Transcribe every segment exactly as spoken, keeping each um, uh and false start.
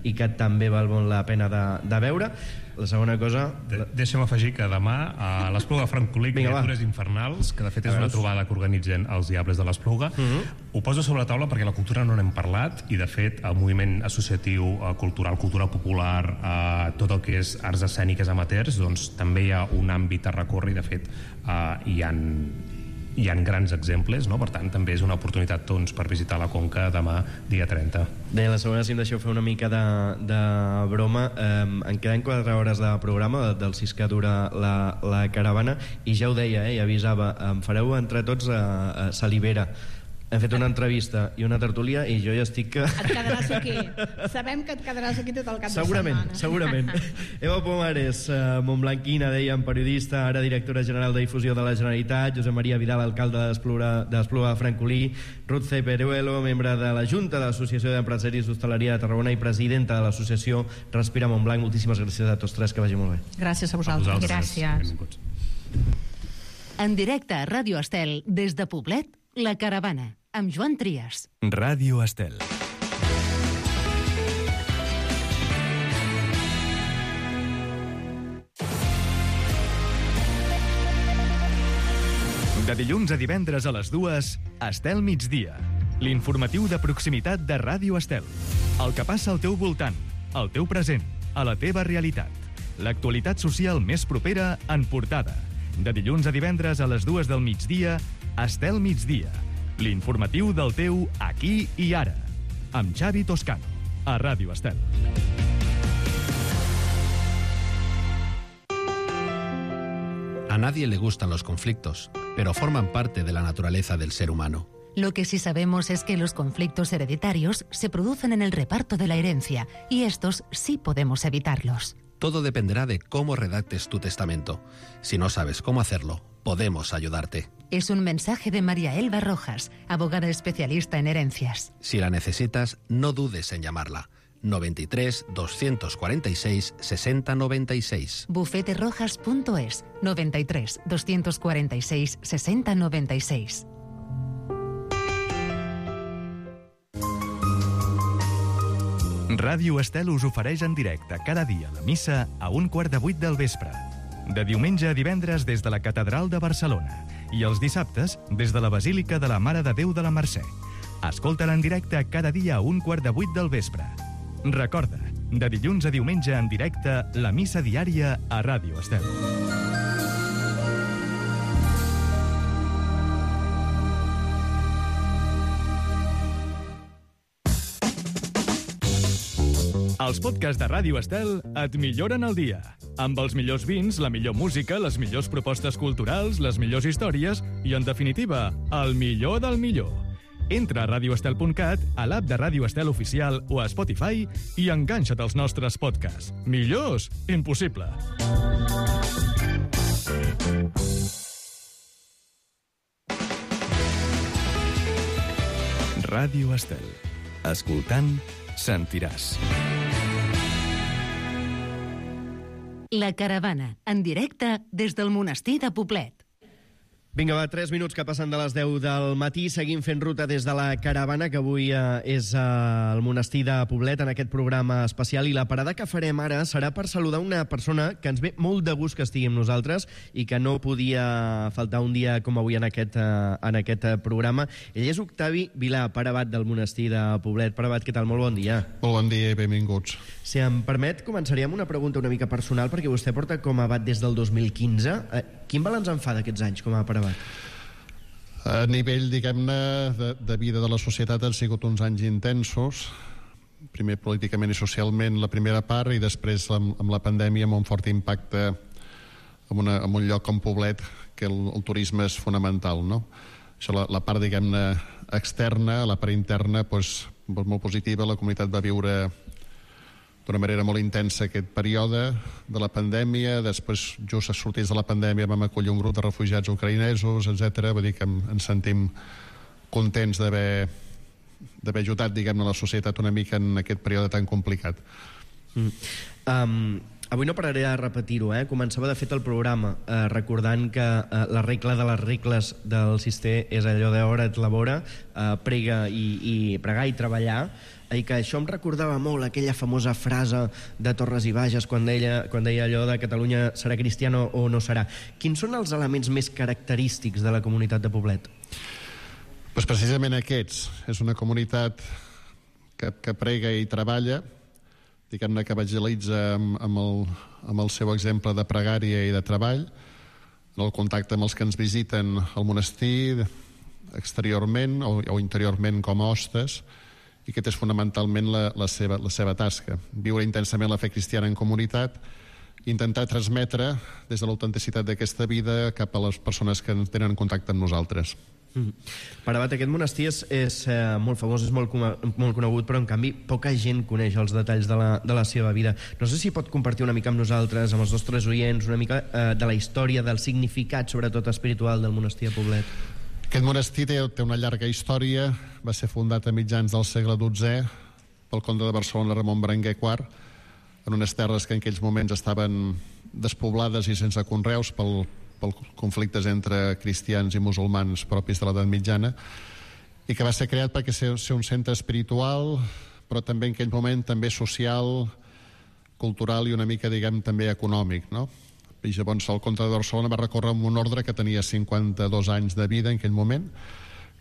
i que també val molt la pena de, de veure. La segona cosa... De, deixa'm afegir que demà a l'Espluga Francolí, Criatures Infernals, que de fet és una trobada que organitzen els Diables de l'Espluga. Uh-huh. Ho poso sobre la taula perquè la cultura no n'hem parlat, i de fet el moviment associatiu, cultural, cultura popular, eh, tot el que és arts escèniques amateurs, doncs també hi ha un àmbit a recórrer, i de fet eh, hi ha hi ha grans exemples, no? Per tant també és una oportunitat doncs, per visitar la Conca demà dia trenta. Bé, la segona, si em deixeu fer una mica de, de broma, eh, en queden quatre hores de programa de, del sis que dura la, la caravana, i ja ho deia, eh, i avisava, em fareu entre tots a, a Salivera. Hem fet una entrevista i una tertúlia i jo ja estic que... Et quedaràs aquí. Sabem que et quedaràs aquí tot el cap segurament, de setmana. Segurament, segurament. Eva Pomares, eh, montblanquina, dèiem, periodista, ara directora general de difusió de la Generalitat, Josep Maria Vidal, alcalde d'Espluga de Francolí, Ruth C. Peruelo, membre de la Junta de l'Associació d'Empresaris d'Hostaleria de Tarragona i presidenta de l'associació Respira Montblanc. Moltíssimes gràcies a tots tres, que vagi molt bé. Gràcies a vosaltres. A vosaltres. Gràcies. En directe a Ràdio Estel, des de Poblet, La Caravana, amb Joan Trias. Ràdio Estel. De dilluns a divendres a les dues, Estel Migdia. L'informatiu de proximitat de Ràdio Estel. El que passa al teu voltant, al teu present, a la teva realitat. L'actualitat social més propera en portada. De dilluns a divendres a les dues del migdia, Estel Migdia. L'informatiu del teu aquí i ara. Amb Xavi Toscano, a Ràdio Estel. A nadie le gustan los conflictos, pero forman parte de la naturaleza del ser humano. Lo que sí sabemos es que los conflictos hereditarios se producen en el reparto de la herencia, y estos sí podemos evitarlos. Todo dependerá de cómo redactes tu testamento. Si no sabes cómo hacerlo, podemos ayudarte. Es un mensaje de María Elba Rojas, abogada especialista en herencias. Si la necesitas, no dudes en llamarla. noventa y tres, doscientos cuarenta y seis, sesenta noventa y seis. bufete rojas punto es, noventa y tres, doscientos cuarenta y seis, sesenta noventa y seis. Ràdio Estel us ofereix en directe cada dia la missa a un quart de vuit del vespre. De diumenge a divendres des de la Catedral de Barcelona i els dissabtes des de la Basílica de la Mare de Déu de la Mercè. Escolta-la en directe cada dia a un quart de vuit del vespre. Recorda, de dilluns a diumenge en directe, la missa diària a Ràdio Estel. Els podcasts de Ràdio Estel et milloren el dia. Amb els millors vins, la millor música, les millors propostes culturals, les millors històries i, en definitiva, el millor del millor. Entra a radio estel punt cat, a l'app de Ràdio Estel Oficial o a Spotify i enganxa't als nostres podcasts. Millors? Impossible. Ràdio Estel. Escoltant, sentiràs. La Caravana, en directe des del monestir de Poblet. Vinga, va, tres minuts que passen de les deu del matí. Seguim fent ruta des de la Caravana, que avui eh, és eh, al monestir de Poblet, en aquest programa especial. I la parada que farem ara serà per saludar una persona que ens ve molt de gust que estigui amb nosaltres i que no podia faltar un dia com avui en aquest, eh, en aquest programa. Ell és Octavi Vilà, pare abat del monestir de Poblet. Pare abat, què tal? Molt bon dia. Molt bon dia i benvinguts. Si em permet, començaria amb una pregunta una mica personal, perquè vostè porta com a abat des del dos mil quinze. Eh, quin balanç en fa d'aquests anys com a pare abat? A nivell, diguem-ne, de, de vida de la societat han sigut uns anys intensos, primer políticament i socialment la primera part, i després amb, amb la pandèmia amb un fort impacte en, una, en un lloc com Poblet, que el, el turisme és fonamental, no? Això, la, la part, diguem-ne, externa, la part interna, doncs, molt positiva. La comunitat va viure d'una manera molt intensa aquest període de la pandèmia. Després, just a sortir de la pandèmia, vam acollir un grup de refugiats ucraïnesos, etcètera. Vull dir que ens sentim contents d'haver d'haver ajudat, diguem-ne, la societat una mica en aquest període tan complicat. Mm. Um, Avui no pararé de repetir-ho, eh? Començava de fet el programa eh, recordant que eh, la regla de les regles del Cister és allò d'hora et labora, eh, prega i, i pregar i treballar, i que això em recordava molt aquella famosa frase de Torres i Bages quan deia, quan deia allò de Catalunya serà cristiana o no serà. Quins són els elements més característics de la comunitat de Poblet? Pues precisament aquests. És una comunitat que, que prega i treballa, diguem-ne que evangelitza amb, amb, el, amb el seu exemple de pregària i de treball, en el contacte amb els que ens visiten al monestir, exteriorment o, o interiorment com a hostes, i aquest és fonamentalment la, la, seva, la seva tasca. Viure intensament la fe cristiana en comunitat, intentar transmetre des de l'autenticitat d'aquesta vida cap a les persones que tenen contacte amb nosaltres. Mm. Per abat, aquest monestir és, és eh, molt famós, és molt, molt conegut, però en canvi poca gent coneix els detalls de la, de la seva vida. No sé si pot compartir una mica amb nosaltres, amb els nostres oients, una mica eh, de la història, del significat, sobretot espiritual, del monestir de Poblet. Aquest monestir té, té una llarga història. Va ser fundat a mitjans del segle dotzè pel comte de Barcelona Ramon Berenguer quart, en unes terres que en aquells moments estaven despoblades i sense conreus pel, pel conflictes entre cristians i musulmans propis de l'edat mitjana, i que va ser creat perquè ser, ser un centre espiritual, però també en aquell moment també social, cultural i una mica, diguem, també econòmic, no? I llavors el comte de Barcelona va recórrer amb un ordre que tenia cinquanta-dos anys de vida en aquell moment,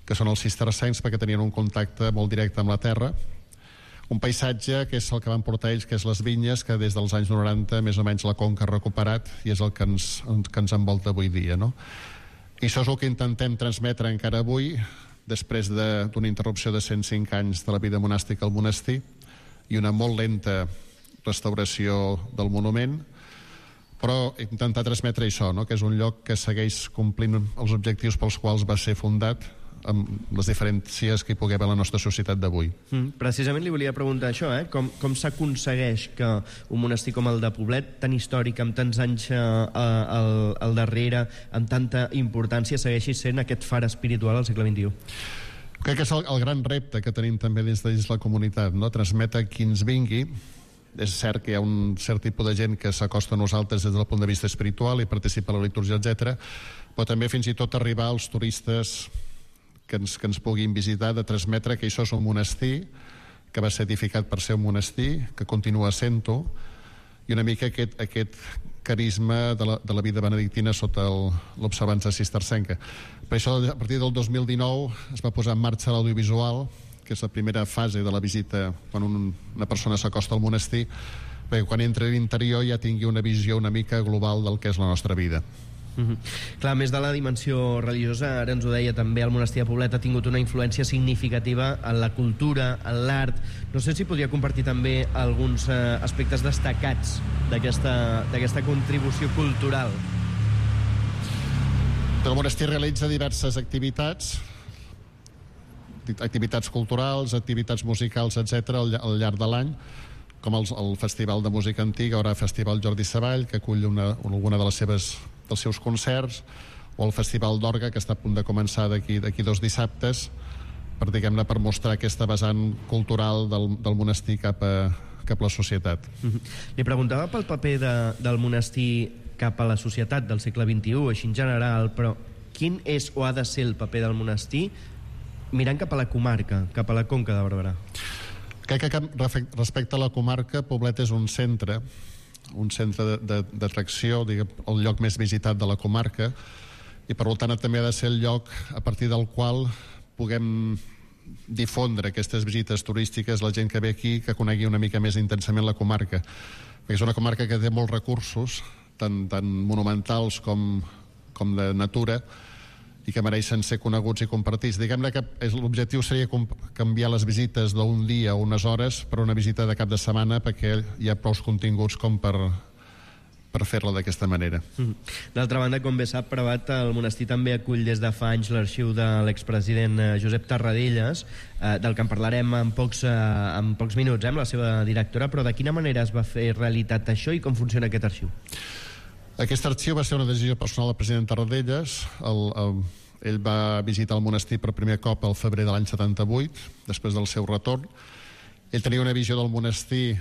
que són els cistercencs, perquè tenien un contacte molt directe amb la terra, un paisatge que és el que van portar ells, que és les vinyes, que des dels anys noranta més o menys la conca ha recuperat i és el que ens, que ens envolta avui dia, no? I això és el que intentem transmetre encara avui, després d'una interrupció de cent cinc anys de la vida monàstica al monestir i una molt lenta restauració del monument, però intentar transmetre això, no? Que és un lloc que segueix complint els objectius pels quals va ser fundat, amb les diferències que hi pugui haver a la nostra societat d'avui. Mm, precisament li volia preguntar això, eh? Com, com s'aconsegueix que un monestir com el de Poblet, tan històric, amb tants anys eh, al, al darrere, amb tanta importància, segueixi sent aquest far espiritual al segle vint-i-u? Crec que és el, el gran repte que tenim també des de dins la comunitat, no? Transmetre qui ens vingui. És cert que hi ha un cert tipus de gent que s'acosta a nosaltres des del punt de vista espiritual i participa a la litúrgia, etcètera, però també fins i tot arribar als turistes que ens, que ens puguin visitar, de transmetre que això és un monestir, que va ser edificat per ser un monestir, que continua sent-ho, i una mica aquest, aquest carisma de la, de la vida benedictina sota l'observança cistercenca. Per això, a partir del dos mil dinou, es va posar en marxa l'audiovisual, que és la primera fase de la visita quan un, una persona s'acosta al monestir, perquè quan entra a l'interior ja tingui una visió una mica global del que és la nostra vida. Mm-hmm. Clar, a més de la dimensió religiosa, ara ens ho deia també, el monestir de Poblet ha tingut una influència significativa en la cultura, en l'art. No sé si podria compartir també alguns eh, aspectes destacats d'aquesta contribució cultural. El monestir realitza diverses activitats, activitats culturals, activitats musicals, etcètera, al, al llarg de l'any, com el, el Festival de Música Antiga, haurà Festival Jordi Savall, que acull una, alguna de les seves, dels seus concerts, o el Festival d'Orga, que està a punt de començar d'aquí d'aquí dos dissabtes, per, diguem-ne, per mostrar aquesta vessant cultural del, del monestir cap a, cap a la societat. Mm-hmm. Li preguntava pel paper de, del monestir cap a la societat del segle vint-i-u, així en general, però quin és o ha de ser el paper del monestir mirant cap a la comarca, cap a la Conca de Barberà? Crec que respecte a la comarca, Poblet és un centre, un centre d'atracció, el lloc més visitat de la comarca, i per tant també ha de ser el lloc a partir del qual puguem difondre aquestes visites turístiques, la gent que ve aquí, que conegui una mica més intensament la comarca. Perquè és una comarca que té molts recursos, tant, tant monumentals com, com de natura, i que mereixen ser coneguts i compartits. Diguem-ne que l'objectiu seria canviar les visites d'un dia o unes hores per una visita de cap de setmana, perquè hi ha prou continguts com per, per fer-la d'aquesta manera. Mm. D'altra banda, com bé sap, Prabat, el monestir també acull des de fa anys l'arxiu de l'expresident Josep Tarradellas, eh, del que en parlarem en pocs, eh, en pocs minuts, eh, amb la seva directora, però de quina manera es va fer realitat això i com funciona aquest arxiu? Aquest arxiu va ser una decisió personal del president Tarradellas. El, el, ell va visitar el monestir per primer cop al febrer de l'any setanta-vuit, després del seu retorn. Ell tenia una visió del monestir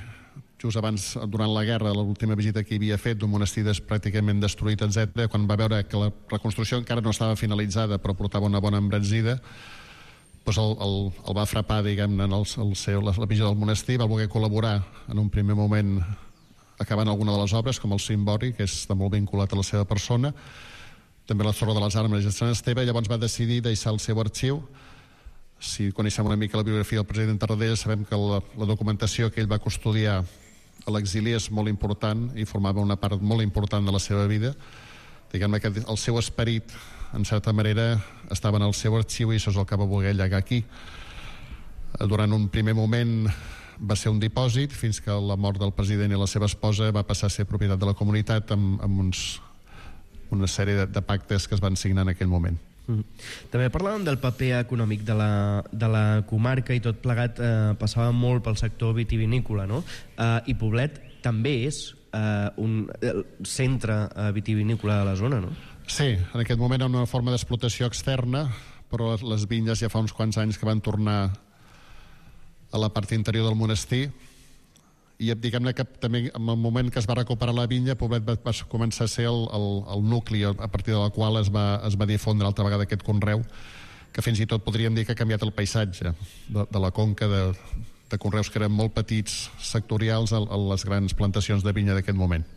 just abans, durant la guerra, l'última visita que hi havia fet d'un monestir pràcticament destruït, etcètera, quan va veure que la reconstrucció encara no estava finalitzada però portava una bona embranzida, doncs el, el, el va frapar, diguem-ne, el, el seu, la, la visió del monestir, va voler col·laborar en un primer moment acabant alguna de les obres, com el cimbori, que és molt vinculat a la seva persona, també la Torre de les Armes de Sant Esteve. Llavors va decidir deixar el seu arxiu. Si coneixem una mica la biografia del president Tarradellas, sabem que la, la documentació que ell va custodiar a l'exili és molt important i formava una part molt important de la seva vida. Diguem-ne que el seu esperit, en certa manera, estava en el seu arxiu i això és el que va voler llegar aquí. Durant un primer moment va ser un dipòsit, fins que la mort del president i la seva esposa va passar a ser propietat de la comunitat amb, amb uns, una sèrie de, de pactes que es van signar en aquell moment. Mm. També parlàvem del paper econòmic de la, de la comarca i tot plegat eh, passava molt pel sector vitivinícola, no? Eh, I Poblet també és eh, un centre eh, vitivinícola de la zona, no? Sí, en aquest moment hi ha una forma d'explotació externa, però les, les vinyes ja fa uns quants anys que van tornar a la part interior del monestir i diguem-ne que també en el moment que es va recuperar la vinya, Poblet va, va començar a ser el, el, el nucli a partir de la qual es va, es va difondre altra vegada aquest conreu, que fins i tot podríem dir que ha canviat el paisatge de, de la conca de, de conreus que eren molt petits, sectorials, a, a les grans plantacions de vinya d'aquest moment.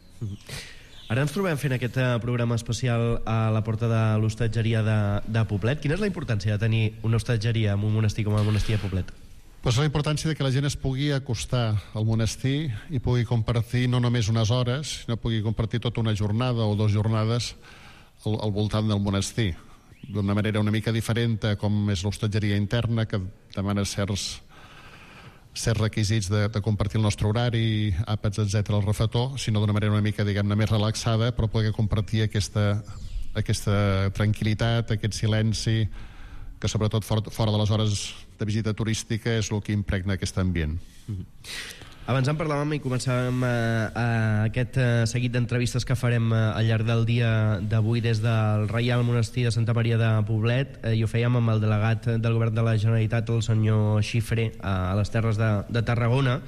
Ara ens trobem fent aquest programa especial a la porta de l'hostatgeria de, de Poblet. Quina és la importància de tenir una hostatgeria en un monestir com el monestir de Poblet? Pues la importància de que la gent es pugui acostar al monestir i pugui compartir no només unes hores, sinó pugui compartir tota una jornada o dues jornades al, al voltant del monestir, d'una manera una mica diferent a com és l'hostatgeria interna, que demana certs, certs requisits de, de compartir el nostre horari, àpats, etcètera, al refetor, sinó d'una manera una mica, diguem-ne, més relaxada, però poder compartir aquesta, aquesta tranquil·litat, aquest silenci, que sobretot fora, fora de les hores de visita turística és el que impregna aquest ambient. Mm-hmm. Abans en parlàvem i començàvem a, a aquest a, seguit d'entrevistes que farem a, al llarg del dia d'avui des del Reial Monestir de Santa Maria de Poblet, eh, i ho fèiem amb el delegat del Govern de la Generalitat, el senyor Xifré, a, a les Terres de, de Tarragona,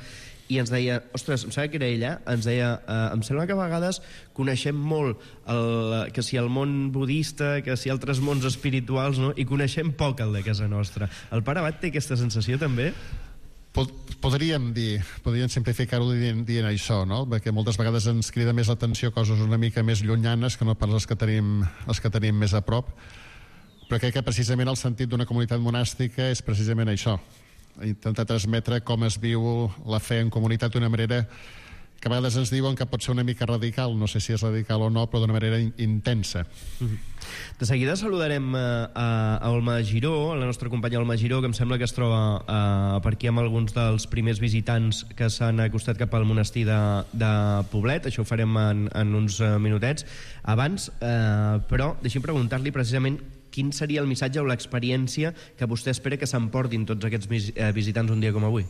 i ens deia, ostres, em sembla que era ella, ens deia, eh, em sembla que a vegades coneixem molt el, que si el món budista, que si altres mons espirituals, no? I coneixem poc el de casa nostra. El pare Abat té aquesta sensació també? Pod podríem dir, podríem simplificar-ho dient, dient això, no? Perquè moltes vegades ens crida més l'atenció coses una mica més llunyanes que no pas les que tenim, les que tenim més a prop, però crec que precisament el sentit d'una comunitat monàstica és precisament això, intentar transmetre com es viu la fe en comunitat d'una manera que a vegades ens diuen que pot ser una mica radical, no sé si és radical o no, però d'una manera in intensa. De seguida saludarem a, a Olma Giró, a la nostra companya Olma Giró, que em sembla que es troba a, per aquí amb alguns dels primers visitants que s'han acostat cap al monestir de, de Poblet. Això ho farem en, en uns minutets. Abans, eh, però, deixi'm preguntar-li precisament quin seria el missatge o l'experiència que vostè espera que s'emportin tots aquests visitants un dia com avui?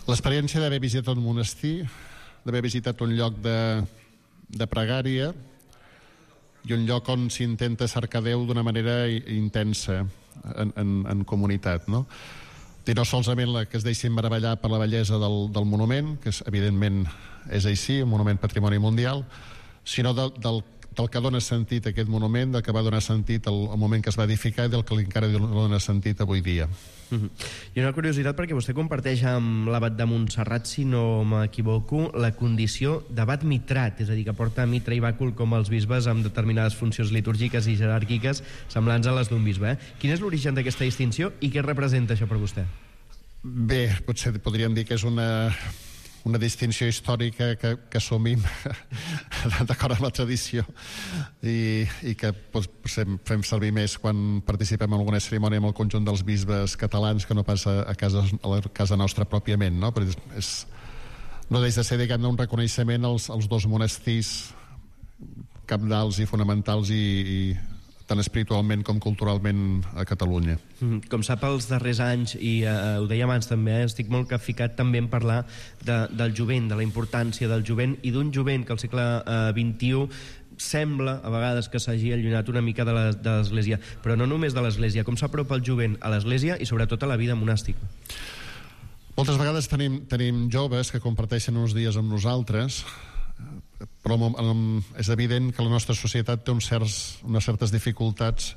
L'experiència d'haver visitat un monestir, d'haver visitat un lloc de, de pregària i un lloc on s'intenta cercar Déu d'una manera intensa en, en, en comunitat, no? I no solament la que es deixin meravellar per la bellesa del, del monument, que és, evidentment és així, un monument patrimoni mundial, sinó del, del del que dona sentit a aquest monument, del que va donar sentit al, al moment que es va edificar i del que encara dona sentit avui dia. Uh-huh. I una curiositat, perquè vostè comparteix amb l'abat de Montserrat, si no m'equivoco, la condició d'abat mitrat, és a dir, que porta mitra i bàcul com els bisbes amb determinades funcions litúrgiques i jeràrquiques semblants a les d'un bisbe. Eh? Quin és l'origen d'aquesta distinció i què representa això per vostè? Bé, potser podríem dir que és una... una distinció històrica que, que assumim d'acord amb la tradició i, i que doncs, fem servir més quan participem en alguna cerimònia amb el conjunt dels bisbes catalans que no pas a, a, casa, a la casa nostra pròpiament, no? Però és, és, no deixa de ser, diguem-ne, un reconeixement als, als dos monestirs cabdals i fonamentals i, i tant espiritualment com culturalment a Catalunya. Com sap, els darrers anys, i eh, ho deia abans també, eh, estic molt ficat també en parlar de, del jovent, de la importància del jovent i d'un jovent que al segle eh, vint-i-u sembla a vegades que s'hagi allunyat una mica de l'Església, però no només de l'Església, com s'apropa el jovent a l'Església i sobretot a la vida monàstica? Moltes vegades tenim, tenim joves que comparteixen uns dies amb nosaltres, però és evident que la nostra societat té uns certs, unes certes dificultats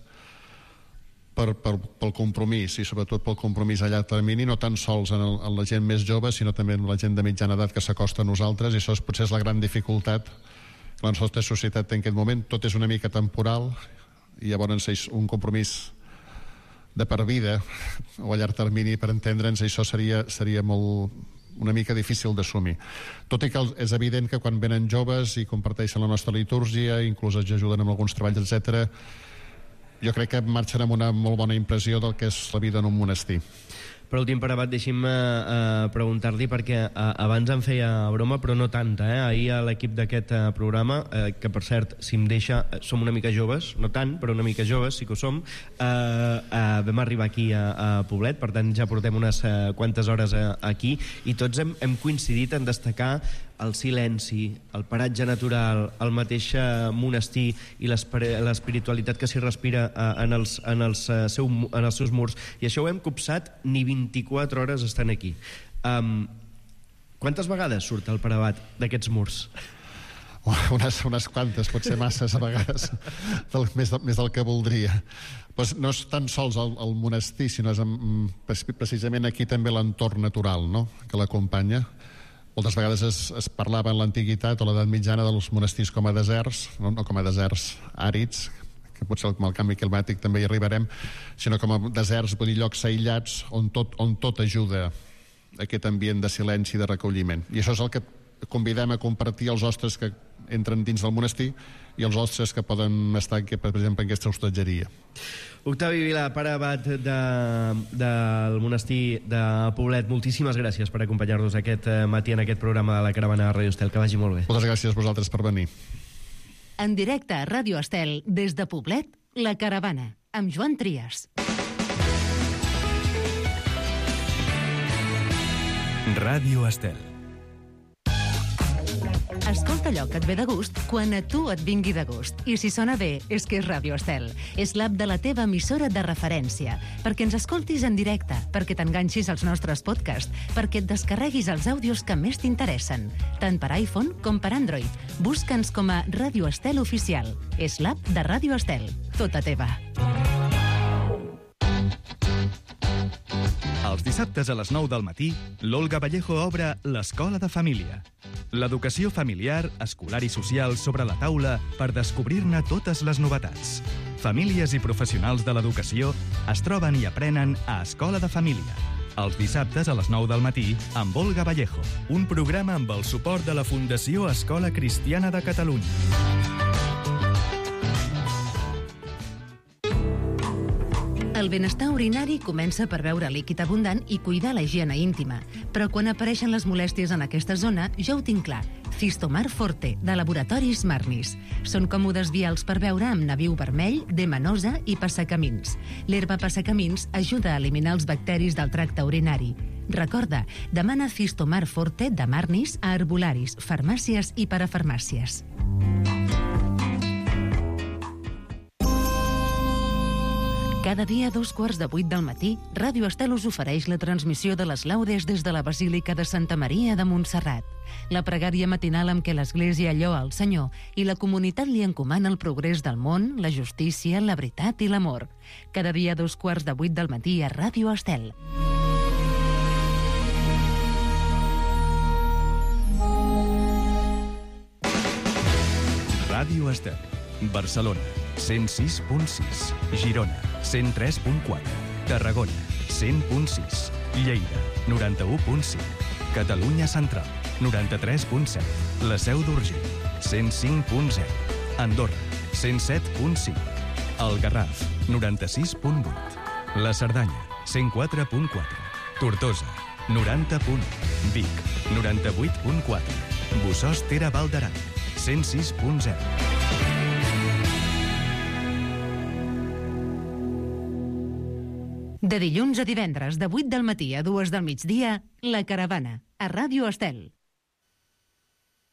per, per, pel compromís, i sobretot pel compromís a llarg termini, no tan sols en, el, en la gent més jove, sinó també en la gent de mitjana edat que s'acosta a nosaltres, i això és, potser és la gran dificultat que la nostra societat té en aquest moment. Tot és una mica temporal, i llavors és un compromís de per vida o a llarg termini, per entendre'ns, això seria, seria molt, una mica difícil d'assumir. Tot i que és evident que quan venen joves i comparteixen la nostra litúrgia, inclús ens ajuden amb alguns treballs, etcètera, jo crec que marxen amb una molt bona impressió del que és la vida en un monestir. Per últim, per abat, deixi'm eh, preguntar-li, perquè eh, abans em feia broma, però no tanta. Eh? Ahir a l'equip d'aquest eh, programa, eh, que per cert, si em deixa, som una mica joves, no tant, però una mica joves, sí que ho som, eh, eh, vam arribar aquí a, a Poblet, per tant ja portem unes eh, quantes hores eh, aquí, i tots hem, hem coincidit en destacar el silenci, el paratge natural, el mateix monestir i l'espiritualitat que s'hi respira en els, en, els, seu, en els seus murs. I això ho hem copsat, ni vint-i-quatre hores estan aquí. Um, quantes vegades surt el parabat d'aquests murs? Unes, unes quantes, pot ser masses a vegades, del, més, de, més del que voldria. Pues no és tan sols el, el monestir, sinó és precisament aquí també l'entorn natural, no?, que l'acompanya. Moltes vegades es, es parlava en l'antiguitat o l'edat mitjana dels monestirs com a deserts, no, no com a deserts àrids, que potser amb el canvi climàtic també hi arribarem, sinó com a deserts, vull dir, llocs aïllats on tot, on tot ajuda a aquest ambient de silenci i de recolliment. I això és el que convidem a compartir els hostes que entren dins del monestir i els hostes que poden estar, per exemple, en aquesta hostatgeria. Octavi Vilà, pare abat de, del monestir de Poblet, moltíssimes gràcies per acompanyar-nos aquest matí en aquest programa de la Caravana de Ràdio Estel. Que vagi molt bé. Moltes gràcies a vosaltres per venir. En directe a Ràdio Estel, des de Poblet, La Caravana, amb Joan Trias. Ràdio Estel. Escolta allò que et ve de gust quan a tu et vingui de gust. I si sona bé, és que és Ràdio Estel. És l'app de la teva emissora de referència. Perquè ens escoltis en directe, perquè t'enganxis als nostres podcasts, perquè et descarreguis els àudios que més t'interessen, tant per iPhone com per Android. Busca'ns com a Ràdio Estel Oficial. És l'app de Ràdio Estel. Tota teva. Els dissabtes a les nou del matí, l'Olga Vallejo obre l'Escola de Família. L'educació familiar, escolar i social sobre la taula per descobrir-ne totes les novetats. Famílies i professionals de l'educació es troben i aprenen a Escola de Família. Els dissabtes a les nou del matí amb Olga Vallejo. Un programa amb el suport de la Fundació Escola Cristiana de Catalunya. El benestar urinari comença per beure líquid abundant i cuidar la higiene íntima. Però quan apareixen les molèsties en aquesta zona, ja ho tinc clar. Cistomar Forte, de Laboratoris Marnis. Són còmodes vials per beure amb nabiu vermell, demanosa i passacamins. L'herba passacamins ajuda a eliminar els bacteris del tracte urinari. Recorda, demana Cistomar Forte de Marnis a herbolaris, farmàcies i parafarmàcies. Cada dia a dos quarts de vuit del matí, Ràdio Estel us ofereix la transmissió de les laudes des de la Basílica de Santa Maria de Montserrat. La pregària matinal amb què l'Església lloa el Senyor i la comunitat li encomana el progrés del món, la justícia, la veritat i l'amor. Cada dia a dos quarts de vuit del matí a Ràdio Estel. Ràdio Estel. Barcelona, cent sis punt sis. Girona, cent tres punt quatre. Tarragona, cent punt sis. Lleida, noranta-u punt cinc. Catalunya Central, noranta-tres punt set. La Seu d'Urgell, cent cinc punt zero. Andorra, cent set punt cinc. El Garraf, noranta-sis punt vuit. La Cerdanya, cent quatre punt quatre. Tortosa, noranta punt u. Vic, noranta-vuit punt quatre. Bossòst Ter Val d'Aran, cent sis punt zero. De dilluns a divendres, de vuit del matí a dues del migdia, La Caravana, a Ràdio Estel.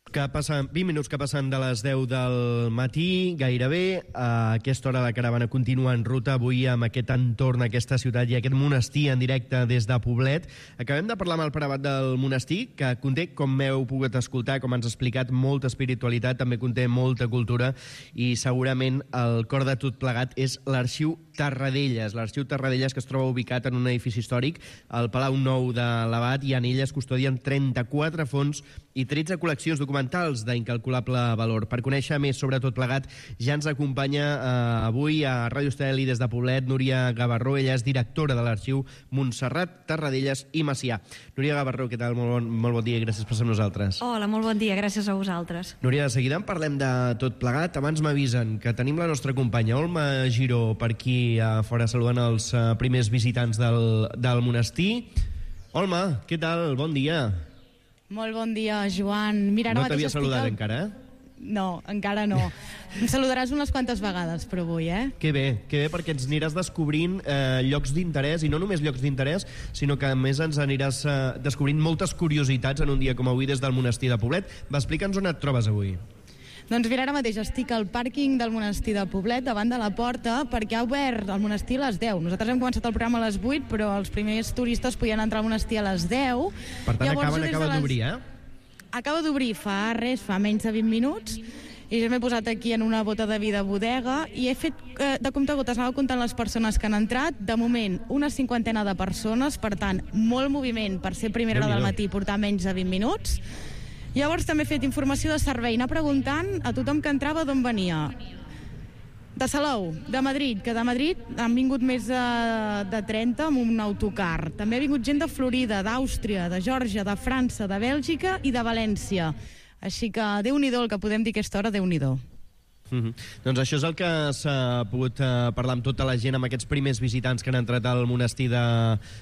Que passen, vint minuts que passen de les deu del matí, gairebé. A aquesta hora la caravana continua en ruta, avui amb aquest entorn, aquesta ciutat i aquest monestir en directe des de Poblet. Acabem de parlar amb el pare abat del monestir, que conté, com heu pogut escoltar, com ens ha explicat, molta espiritualitat, també conté molta cultura, i segurament el cor de tot plegat és l'Arxiu Tarradellas. L'Arxiu Tarradellas, que es troba ubicat en un edifici històric, al Palau Nou de l'Abat, i en ell es custodien trenta-quatre fons i tretze col·leccions documentals d'incalculable valor. Per conèixer més sobre tot plegat, ja ens acompanya eh, avui a Ràdio Estel i des de Poblet Núria Gavarró. Ella és directora de l'Arxiu Montserrat, Tarradellas i Macià. Núria Gavarró, què tal? Molt bon, molt bon dia i gràcies per ser amb nosaltres. Hola, molt bon dia, gràcies a vosaltres. Núria, de seguida en parlem de tot plegat. Abans m'avisen que tenim la nostra companya Olma Giró per aquí a fora saludant els uh, primers visitants del, del monestir. Olma, què tal? Bon dia. Molt bon dia, Joan. Mira, ara no t'havia saludat al... encara, eh? No, encara no. Em saludaràs unes quantes vegades, però avui, eh? Que bé, que bé, perquè ens aniràs descobrint eh, llocs d'interès, i no només llocs d'interès, sinó que a més ens aniràs eh, descobrint moltes curiositats en un dia com avui des del monestir de Poblet. Va, explica'ns on et trobes avui. Doncs mira, ara mateix estic al pàrquing del monestir de Poblet, davant de la porta, perquè ha obert el monestir a les deu. Nosaltres hem començat el programa a les vuit, però els primers turistes podien entrar al monestir a les deu. Per tant, Llavors, acaben, acaba les... d'obrir, eh? Acaba d'obrir fa res, fa menys de vint minuts, i ja m'he posat aquí en una bota de vi de bodega i he fet eh, de comptagotes, anava comptant les persones que han entrat. De moment, una cinquantena de persones, per tant, molt moviment per ser primera hora del matí i portar menys de vint minuts. Llavors també he fet informació de servei, anar preguntant a tothom que entrava d'on venia. De Salou, de Madrid, que de Madrid han vingut més de, de trenta amb un autocar. També ha vingut gent de Florida, d'Àustria, de Geòrgia, de França, de Bèlgica i de València. Així que Déu-n'hi-do el que podem dir aquesta hora, Déu-n'hi-do. Mm-hmm. Doncs això és el que s'ha pogut uh, parlar amb tota la gent, amb aquests primers visitants que han entrat al monestir de,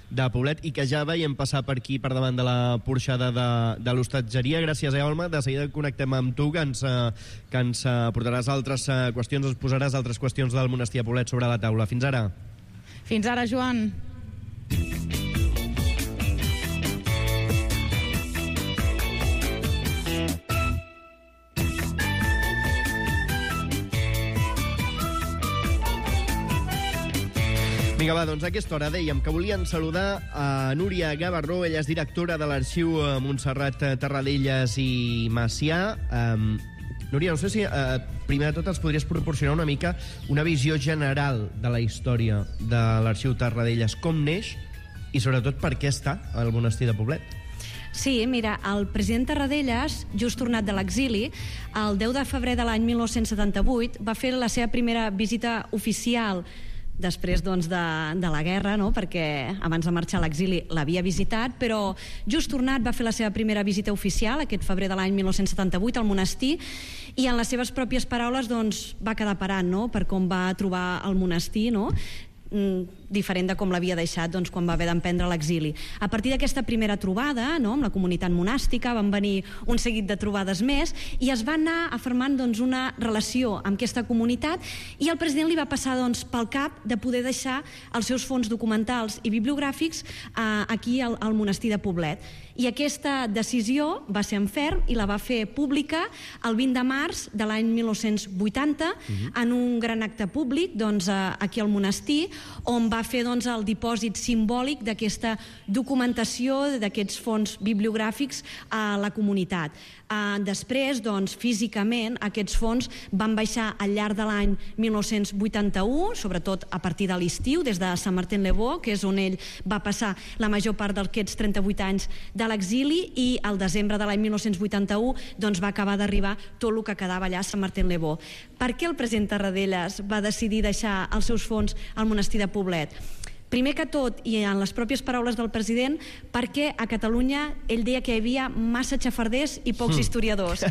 de Poblet i que ja veiem passar per aquí, per davant de la porxada de, de l'hostatgeria. Gràcies, eh, Olma. De seguida connectem amb tu, que ens, uh, que ens uh, portaràs altres uh, qüestions, ens posaràs altres qüestions del monestir de Poblet sobre la taula. Fins ara. Fins ara, Joan. Vinga, va, doncs a aquesta hora dèiem que volíem saludar a Núria Gavarró. Ella és directora de l'Arxiu Montserrat, Tarradellas i Macià. Um, Núria, no sé si uh, primer de tot ens podries proporcionar una mica una visió general de la història de l'Arxiu Tarradellas, com neix i sobretot per què està al monestir de Poblet. Sí, mira, el president Tarradellas, just tornat de l'exili, el deu de febrer de l'any mil nou-cents setanta-vuit, va fer la seva primera visita oficial després doncs, de, de la guerra, no? Perquè abans de marxar a l'exili l'havia visitat, però just tornat va fer la seva primera visita oficial aquest febrer de l'any mil nou-cents setanta-vuit al monestir, i en les seves pròpies paraules doncs, va quedar parant, no? Per com va trobar el monestir, no? diferent de com l'havia deixat doncs, quan va haver d'emprendre l'exili. A partir d'aquesta primera trobada, no, amb la comunitat monàstica, van venir un seguit de trobades més i es va anar afermant doncs, una relació amb aquesta comunitat, i el president li va passar doncs, pel cap de poder deixar els seus fons documentals i bibliogràfics eh, aquí al, al monestir de Poblet. I aquesta decisió va ser en ferm i la va fer pública el vint de març de l'any mil nou-cents vuitanta uh-huh. en un gran acte públic doncs, aquí al monestir, on va fer doncs, el dipòsit simbòlic d'aquesta documentació d'aquests fons bibliogràfics a la comunitat. Uh, després, doncs, físicament, aquests fons van baixar al llarg de l'any mil nou-cents vuitanta-u, sobretot a partir de l'estiu, des de Saint-Martin-les-Vaux, que és on ell va passar la major part d'aquests trenta-vuit anys de l'exili, i al desembre de l'any mil nou-cents vuitanta-u doncs, va acabar d'arribar tot el que quedava allà a Saint-Martin-les-Vaux. Per què el president Tarradellas va decidir deixar els seus fons al monestir de Poblet? Primer que tot, i en les pròpies paraules del president, perquè a Catalunya ell deia que hi havia massa xafarders i pocs mm. historiadors.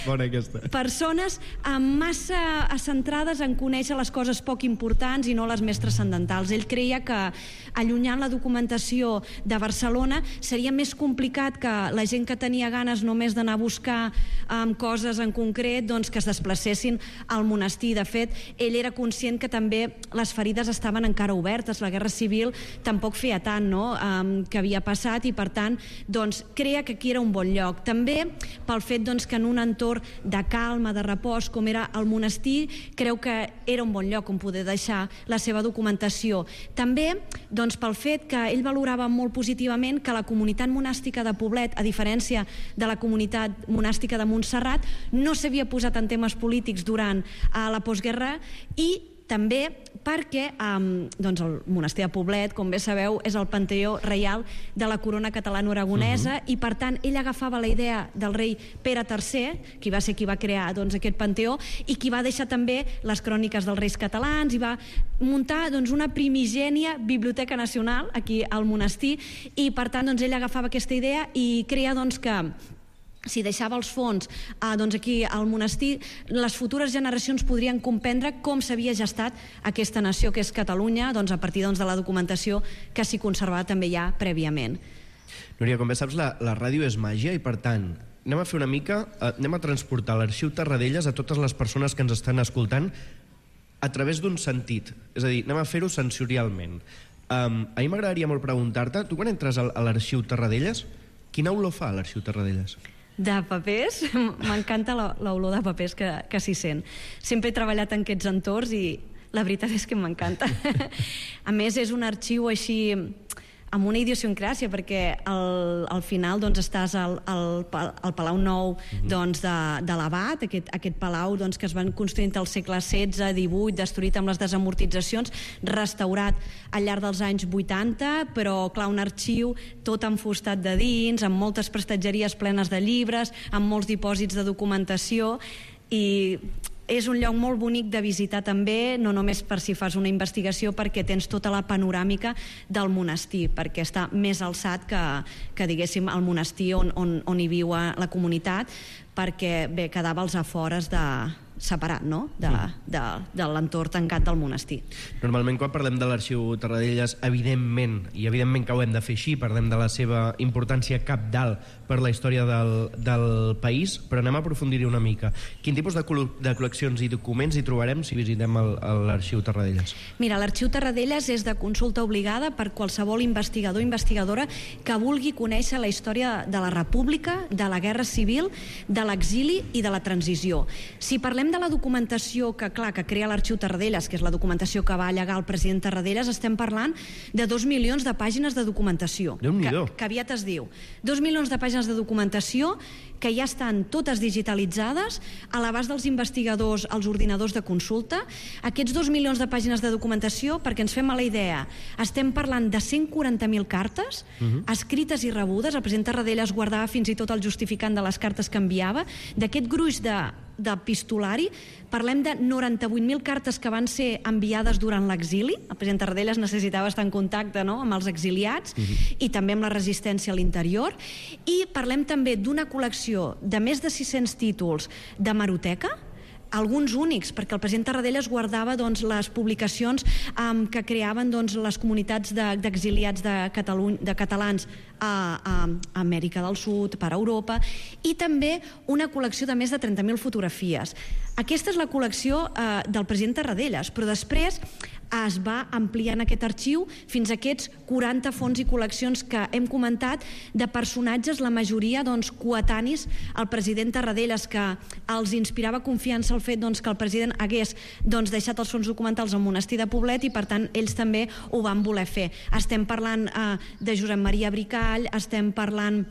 Bona aquesta. Persones massa centrades en conèixer les coses poc importants i no les més transcendentals. Ell creia que allunyant la documentació de Barcelona seria més complicat que la gent que tenia ganes només d'anar a buscar um, coses en concret doncs, que es desplacessin al monestir. De fet, ell era conscient que també les ferides estaven encara obertes, refugiats, la guerra civil tampoc feia tant, no?, um, que havia passat, i per tant doncs, crea que aquí era un bon lloc. També pel fet doncs, que en un entorn de calma, de repòs, com era el monestir, creu que era un bon lloc on poder deixar la seva documentació. També doncs, pel fet que ell valorava molt positivament que la comunitat monàstica de Poblet, a diferència de la comunitat monàstica de Montserrat, no s'havia posat en temes polítics durant uh, la postguerra, i també perquè um, doncs el monestir de Poblet, com bé sabeu, és el panteó reial de la corona catalano-aragonesa, uh-huh. i per tant ell agafava la idea del rei Pere tercer, qui va ser qui va crear doncs, aquest panteó, i qui va deixar també les cròniques dels reis catalans, i va muntar doncs, una primigènia biblioteca nacional aquí al monestir, i per tant doncs, ell agafava aquesta idea i creia doncs, que si deixava els fons eh, doncs aquí al monestir, les futures generacions podrien comprendre com s'havia gestat aquesta nació que és Catalunya, doncs, a partir doncs, de la documentació que s'hi conservava també ja prèviament. Núria, com bé saps, la, la ràdio és màgia, i per tant anem a fer una mica, eh, anem a transportar l'Arxiu Tarradellas a totes les persones que ens estan escoltant a través d'un sentit, és a dir, anem a fer-ho sensorialment. Um, a mi m'agradaria molt preguntar-te, tu quan entres a l'Arxiu Tarradellas, quina olor fa l'Arxiu Tarradellas? De papers, m'encanta l'olor de papers que, que s'hi sent. Sempre he treballat en aquests entorns i la veritat és que m'encanta. A més, és un arxiu així amb una idiosincràsia, perquè al, al final doncs, estàs al, al, al Palau Nou doncs, de, de l'Abat, aquest, aquest palau doncs, que es van construint al segle setze, divuit, destruït amb les desamortitzacions, restaurat al llarg dels anys vuitanta, però clar, un arxiu tot enfustat de dins, amb moltes prestatgeries plenes de llibres, amb molts dipòsits de documentació, i és un lloc molt bonic de visitar també, no només per si fas una investigació, perquè tens tota la panoràmica del monestir, perquè està més alçat que, que diguéssim, el monestir on, on, on hi viu la comunitat, perquè bé, quedava als afores de separat, no?, de, de, de l'entorn tancat del monestir. Normalment quan parlem de l'Arxiu Tarradellas, evidentment, i evidentment que ho hem de fer així, parlem de la seva importància cabdal per la història del, del país, però anem a aprofundir-hi una mica. Quin tipus de, col de col·leccions i documents hi trobarem si visitem l'Arxiu Tarradellas? Mira, l'Arxiu Tarradellas és de consulta obligada per qualsevol investigador o investigadora que vulgui conèixer la història de la República, de la Guerra Civil, de l'exili i de la transició. Si parlem de la documentació que, clar, que crea l'Arxiu Tarradellas, que és la documentació que va allegar el president Tarradellas, estem parlant de dos milions de pàgines de documentació. Déu-n'hi-do. Que, que aviat es diu. Dos milions de pàgines de documentació que ja estan totes digitalitzades a l'abast dels investigadors als ordinadors de consulta. Aquests dos milions de pàgines de documentació, perquè ens fem a la idea, estem parlant de cent quaranta mil cartes, uh-huh. escrites i rebudes. El president Tarradellas guardava fins i tot el justificant de les cartes que enviava. D'aquest gruix de d'epistolari, parlem de noranta-vuit mil cartes que van ser enviades durant l'exili. El president Tarradellas necessitava estar en contacte, no?, amb els exiliats, uh-huh. i també amb la resistència a l'interior. I parlem també d'una col·lecció de més de sis-cents títols d'hemeroteca, alguns únics, perquè el president Tarradellas guardava doncs, les publicacions um, que creaven doncs, les comunitats d'exiliats de, de, de catalans a, a, a Amèrica del Sud, per a Europa, i també una col·lecció de més de trenta mil fotografies. Aquesta és la col·lecció uh, del president Tarradellas, però després es va ampliant aquest arxiu fins a aquests quaranta fons i col·leccions que hem comentat de personatges, la majoria doncs, coetanis al president Tarradellas, que els inspirava confiança el fet doncs, que el president hagués doncs, deixat els fons documentals al monestir de Poblet, i per tant ells també ho van voler fer. Estem parlant eh, de Josep Maria Bricall, estem parlant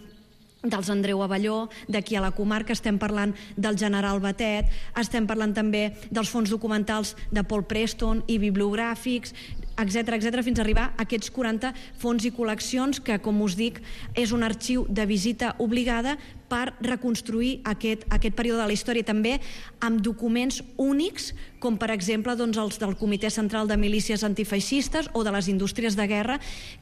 dels Andreu Avelló, d'aquí a la comarca, estem parlant del general Batet, estem parlant també dels fons documentals de Paul Preston i bibliogràfics, etcètera, etcètera, fins a arribar a aquests quaranta fons i col·leccions que, com us dic, és un arxiu de visita obligada per reconstruir aquest, aquest període de la història, també amb documents únics, com per exemple doncs, els del Comitè Central de Milícies Antifeixistes o de les Indústries de Guerra,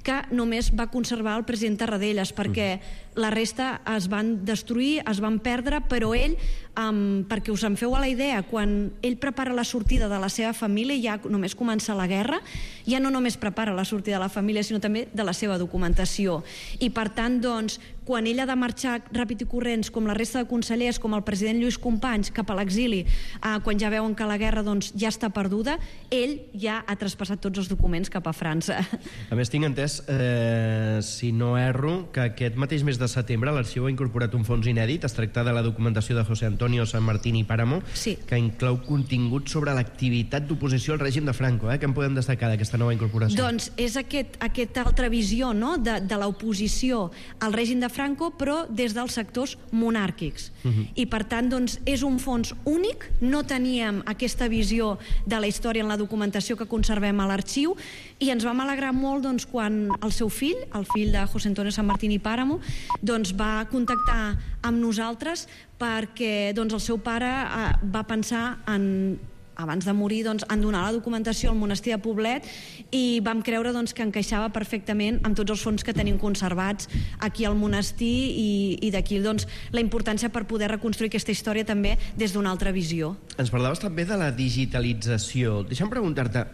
que només va conservar el president Tarradellas, perquè la resta es van destruir, es van perdre, però ell, um, perquè us en feu a la idea, quan ell prepara la sortida de la seva família, ja només comença la guerra, ja no només prepara la sortida de la família, sinó també de la seva documentació. I per tant, doncs, quan ell ha de marxar ràpid i corrents, com la resta de consellers, com el president Lluís Companys, cap a l'exili, eh, quan ja veuen que la guerra doncs, ja està perduda, ell ja ha traspassat tots els documents cap a França. A més, tinc entès, eh, si no erro, que aquest mateix mes de setembre l'Arxiu ha incorporat un fons inèdit. Es tracta de la documentació de José Antonio San Martín y Páramo, sí, que inclou contingut sobre l'activitat d'oposició al règim de Franco. Eh? Què en podem destacar d'aquesta nova incorporació? Doncs és aquest, aquesta altra visió, no?, de, de l'oposició al règim de Franco, però des dels sectors monàrquics. Uh-huh. I per tant, doncs, és un fons únic. No teníem aquesta visió de la història en la documentació que conservem a l'arxiu, i ens vam alegrar molt doncs, quan el seu fill, el fill de José Antonio San Martín y Páramo, doncs, va contactar amb nosaltres perquè doncs, el seu pare eh, va pensar en, abans de morir, doncs, en donar la documentació al monestir de Poblet, i vam creure doncs, que encaixava perfectament amb tots els fons que tenim conservats aquí al monestir, i, i d'aquí doncs, la importància per poder reconstruir aquesta història també des d'una altra visió. Ens parlaves també de la digitalització. Deixa'm preguntar-te,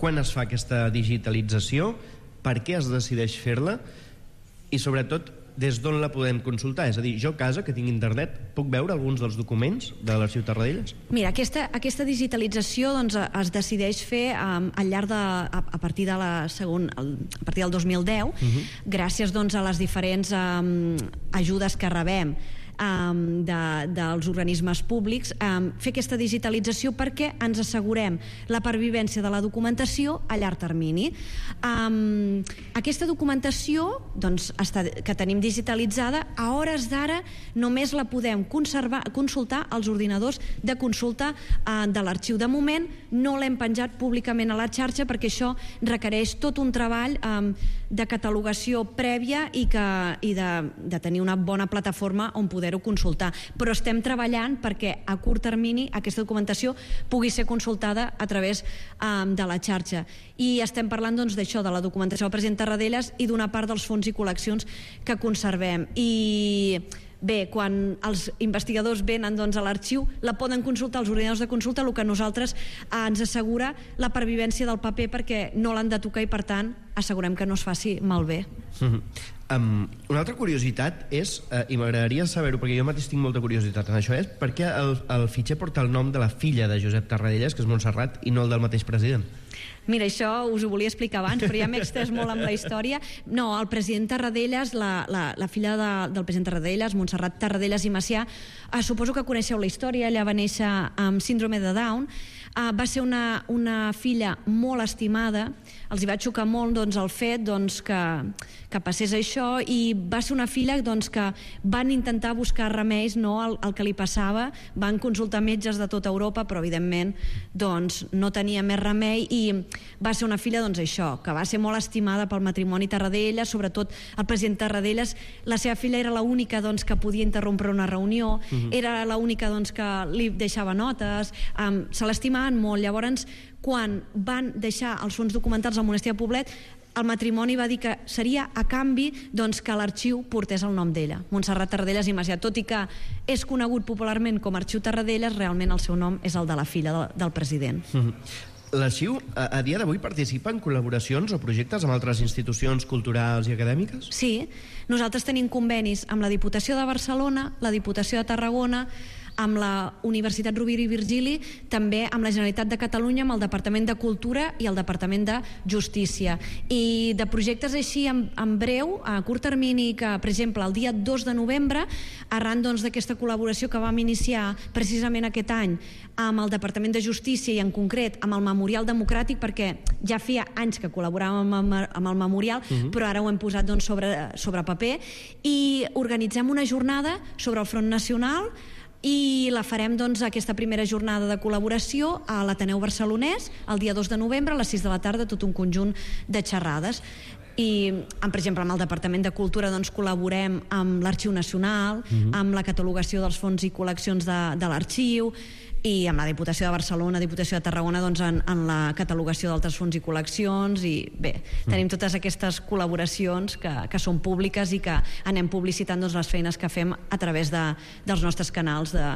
quan es fa aquesta digitalització, per què es decideix fer-la, i sobretot des d'on la podem consultar? És a dir, jo a casa, que tinc internet, puc veure alguns dels documents de l'Arxiu Tarradellas? Mira, aquesta, aquesta digitalització doncs, es decideix fer um, al llarg de, a, a partir de la segon, a partir del dos mil deu, uh-huh. gràcies doncs, a les diferents um, ajudes que rebem Um, de, dels organismes públics, um, fer aquesta digitalització perquè ens assegurem la pervivència de la documentació a llarg termini. Um, aquesta documentació doncs, està, que tenim digitalitzada, a hores d'ara només la podem conservar, consultar als ordinadors de consulta uh, de l'arxiu. De moment no l'hem penjat públicament a la xarxa perquè això requereix tot un treball um, de catalogació prèvia i, que, i de, de tenir una bona plataforma on poder consultar, però estem treballant perquè a curt termini aquesta documentació pugui ser consultada a través um, de la xarxa, i estem parlant doncs, d'això, de la documentació del president Tarradellas i d'una part dels fons i col·leccions que conservem. I bé, quan els investigadors venen doncs, a l'arxiu, la poden consultar als ordinadors de consulta, el que nosaltres eh, ens assegura la pervivència del paper perquè no l'han de tocar i per tant assegurem que no es faci malbé. Mm-hmm. Um, una altra curiositat és, uh, i m'agradaria saber-ho perquè jo mateix tinc molta curiositat en això, és per què el, el fitxer porta el nom de la filla de Josep Tarradellas, que és Montserrat, i no el del mateix president? Mira, això us ho volia explicar abans, però ja m'he extès molt amb la història. No, el president Tarradellas, la, la, la filla de, del president Tarradellas, Montserrat Tarradellas i Macià, eh, suposo que coneixeu la història, ella va néixer amb síndrome de Down, eh, va ser una, una filla molt estimada, els hi va xocar molt doncs, el fet doncs, que, que passés això, i va ser una filla doncs, que van intentar buscar remeis no, al, al que li passava, van consultar metges de tota Europa, però evidentment doncs, no tenia més remei, i va ser una filla doncs, això, que va ser molt estimada pel matrimoni Tarradellas, sobretot el president Tarradellas. La seva filla era l'única doncs, que podia interrompre una reunió, uh-huh. era l'única doncs, que li deixava notes, um, se l'estimaven molt. Llavors, quan van deixar els fons documentals al monestir de Poblet, el matrimoni va dir que seria a canvi doncs, que l'arxiu portés el nom d'ella, Montserrat Tarradellas i Macià. Tot i que és conegut popularment com Arxiu Tarradellas, realment el seu nom és el de la filla de, del president. Uh-huh. L'arxiu, a, a dia d'avui, participa en col·laboracions o projectes amb altres institucions culturals i acadèmiques? Sí, nosaltres tenim convenis amb la Diputació de Barcelona, la Diputació de Tarragona, amb la Universitat Rovira i Virgili, també amb la Generalitat de Catalunya, amb el Departament de Cultura i el Departament de Justícia. I de projectes així en, en breu, a curt termini, que per exemple el dia dos de novembre, arran doncs, d'aquesta col·laboració que vam iniciar precisament aquest any amb el Departament de Justícia i en concret amb el Memorial Democràtic, perquè ja feia anys que col·laboràvem amb, amb el Memorial, uh-huh. però ara ho hem posat doncs, sobre, sobre paper, i organitzem una jornada sobre el Front Nacional, i la farem doncs, aquesta primera jornada de col·laboració a l'Ateneu Barcelonès el dia dos de novembre a les sis de la tarda, tot un conjunt de xerrades. I, per exemple, amb el Departament de Cultura doncs, col·laborem amb l'Arxiu Nacional, uh-huh. amb la catalogació dels fons i col·leccions de, de l'arxiu, i amb la Diputació de Barcelona, Diputació de Tarragona doncs, en, en la catalogació d'altres fons i col·leccions, i bé, tenim totes aquestes col·laboracions que, que són públiques i que anem publicitant doncs, les feines que fem a través de, dels nostres canals de,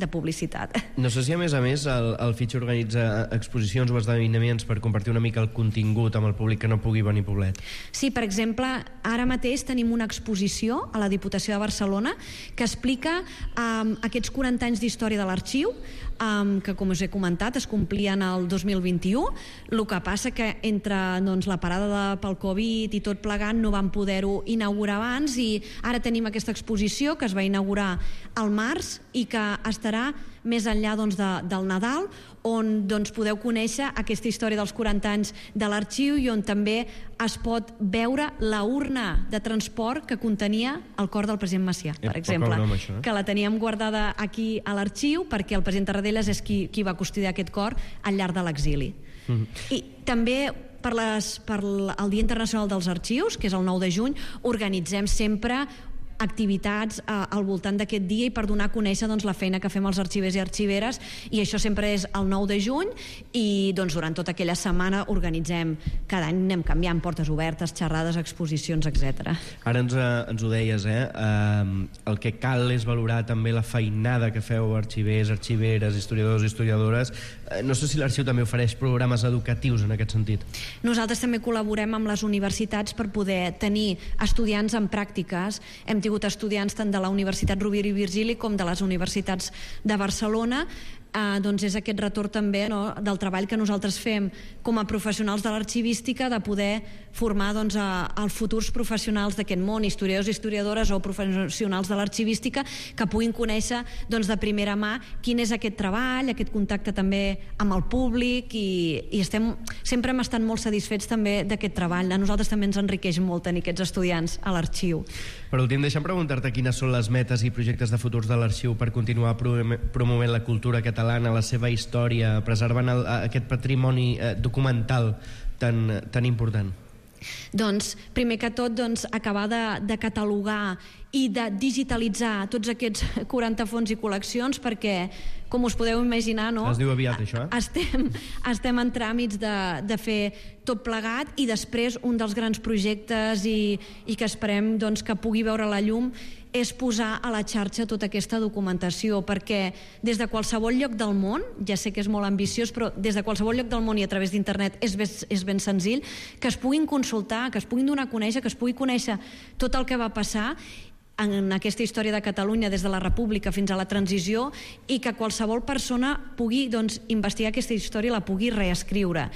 de publicitat. No sé si a més a més el, el Fitxa organitza exposicions o esdeveniments per compartir una mica el contingut amb el públic que no pugui venir a Poblet. Sí, per exemple, ara mateix tenim una exposició a la Diputació de Barcelona que explica um, aquests quaranta anys d'història de l'arxiu, um, que com us he comentat es complien el dos mil vint-i-u. El que passa que entre doncs, la parada de, pel Covid i tot plegant no vam poder-ho inaugurar abans, i ara tenim aquesta exposició que es va inaugurar al març i que estarà més enllà doncs, de, del Nadal, on doncs, podeu conèixer aquesta història dels quaranta anys de l'arxiu i on també es pot veure la urna de transport que contenia el cor del president Macià, per exemple, broma, això, eh? que la teníem guardada aquí a l'arxiu perquè el president Tarradellas és qui, qui va custodiar aquest cor al llarg de l'exili. Mm-hmm. I també per, les, per el Dia Internacional dels Arxius, que és el nou de juny, organitzem sempre activitats eh, al voltant d'aquest dia i per donar a conèixer doncs, la feina que fem els arxivers i arxiveres, i això sempre és el nou de juny, i doncs, durant tota aquella setmana organitzem, cada any anem canviant, portes obertes, xerrades, exposicions, etcètera. Ara ens, eh, ens ho deies, eh? eh? El que cal és valorar també la feinada que feu arxivers, arxiveres, historiadors i historiadores. Eh, no sé si l'arxiu també ofereix programes educatius en aquest sentit. Nosaltres també col·laborem amb les universitats per poder tenir estudiants en pràctiques. Hem tingut estudiants tant de la Universitat Rovira i Virgili com de les universitats de Barcelona. Eh, doncs és aquest retorn també, no, del treball que nosaltres fem com a professionals de l'arxivística, de poder formar doncs, a, als futurs professionals d'aquest món, historiadors i historiadores o professionals de l'arxivística, que puguin conèixer doncs, de primera mà quin és aquest treball, aquest contacte també amb el públic, i, i estem, sempre hem estat molt satisfets també d'aquest treball. A nosaltres també ens enriqueix molt tenir aquests estudiants a l'arxiu. Per últim, deixa'm preguntar-te quines són les metes i projectes de futurs de l'arxiu per continuar promovent la cultura catalana, la seva història, preservant el, aquest patrimoni eh, documental tan, tan important. Doncs, primer que tot, doncs, acabar de, de catalogar i de digitalitzar tots aquests quaranta fons i col·leccions, perquè, com us podeu imaginar, no? Es diu aviat, això, eh? Estem, estem en tràmits de, de fer tot plegat, i després un dels grans projectes i, i que esperem doncs, que pugui veure la llum és posar a la xarxa tota aquesta documentació, perquè des de qualsevol lloc del món, ja sé que és molt ambiciós, però des de qualsevol lloc del món i a través d'internet és, és ben senzill, que es puguin consultar, que es puguin donar a conèixer, que es pugui conèixer tot el que va passar en aquesta història de Catalunya des de la República fins a la transició, i que qualsevol persona pugui doncs, investigar aquesta història i la pugui reescriure.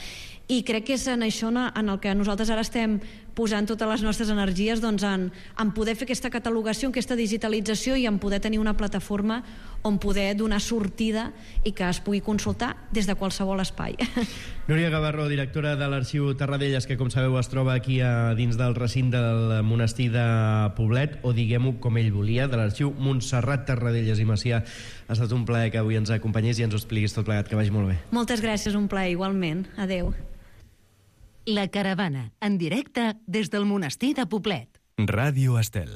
I crec que és en això en el que nosaltres ara estem posant totes les nostres energies, doncs en, en poder fer aquesta catalogació, aquesta digitalització, i en poder tenir una plataforma on poder donar sortida i que es pugui consultar des de qualsevol espai. Núria Gavarró, directora de l'Arxiu Tarradellas, que com sabeu es troba aquí a dins del recinte del monestir de Poblet, o diguem-ho com ell volia, de l'Arxiu Montserrat Tarradellas i Macià. Ha estat un plaer que avui ens acompanyés i ens ho expliquis tot plegat, que vagi molt bé. Moltes gràcies, un plaer igualment. Adéu. La Caravana, en directe des del monestir de Poblet. Ràdio Estel.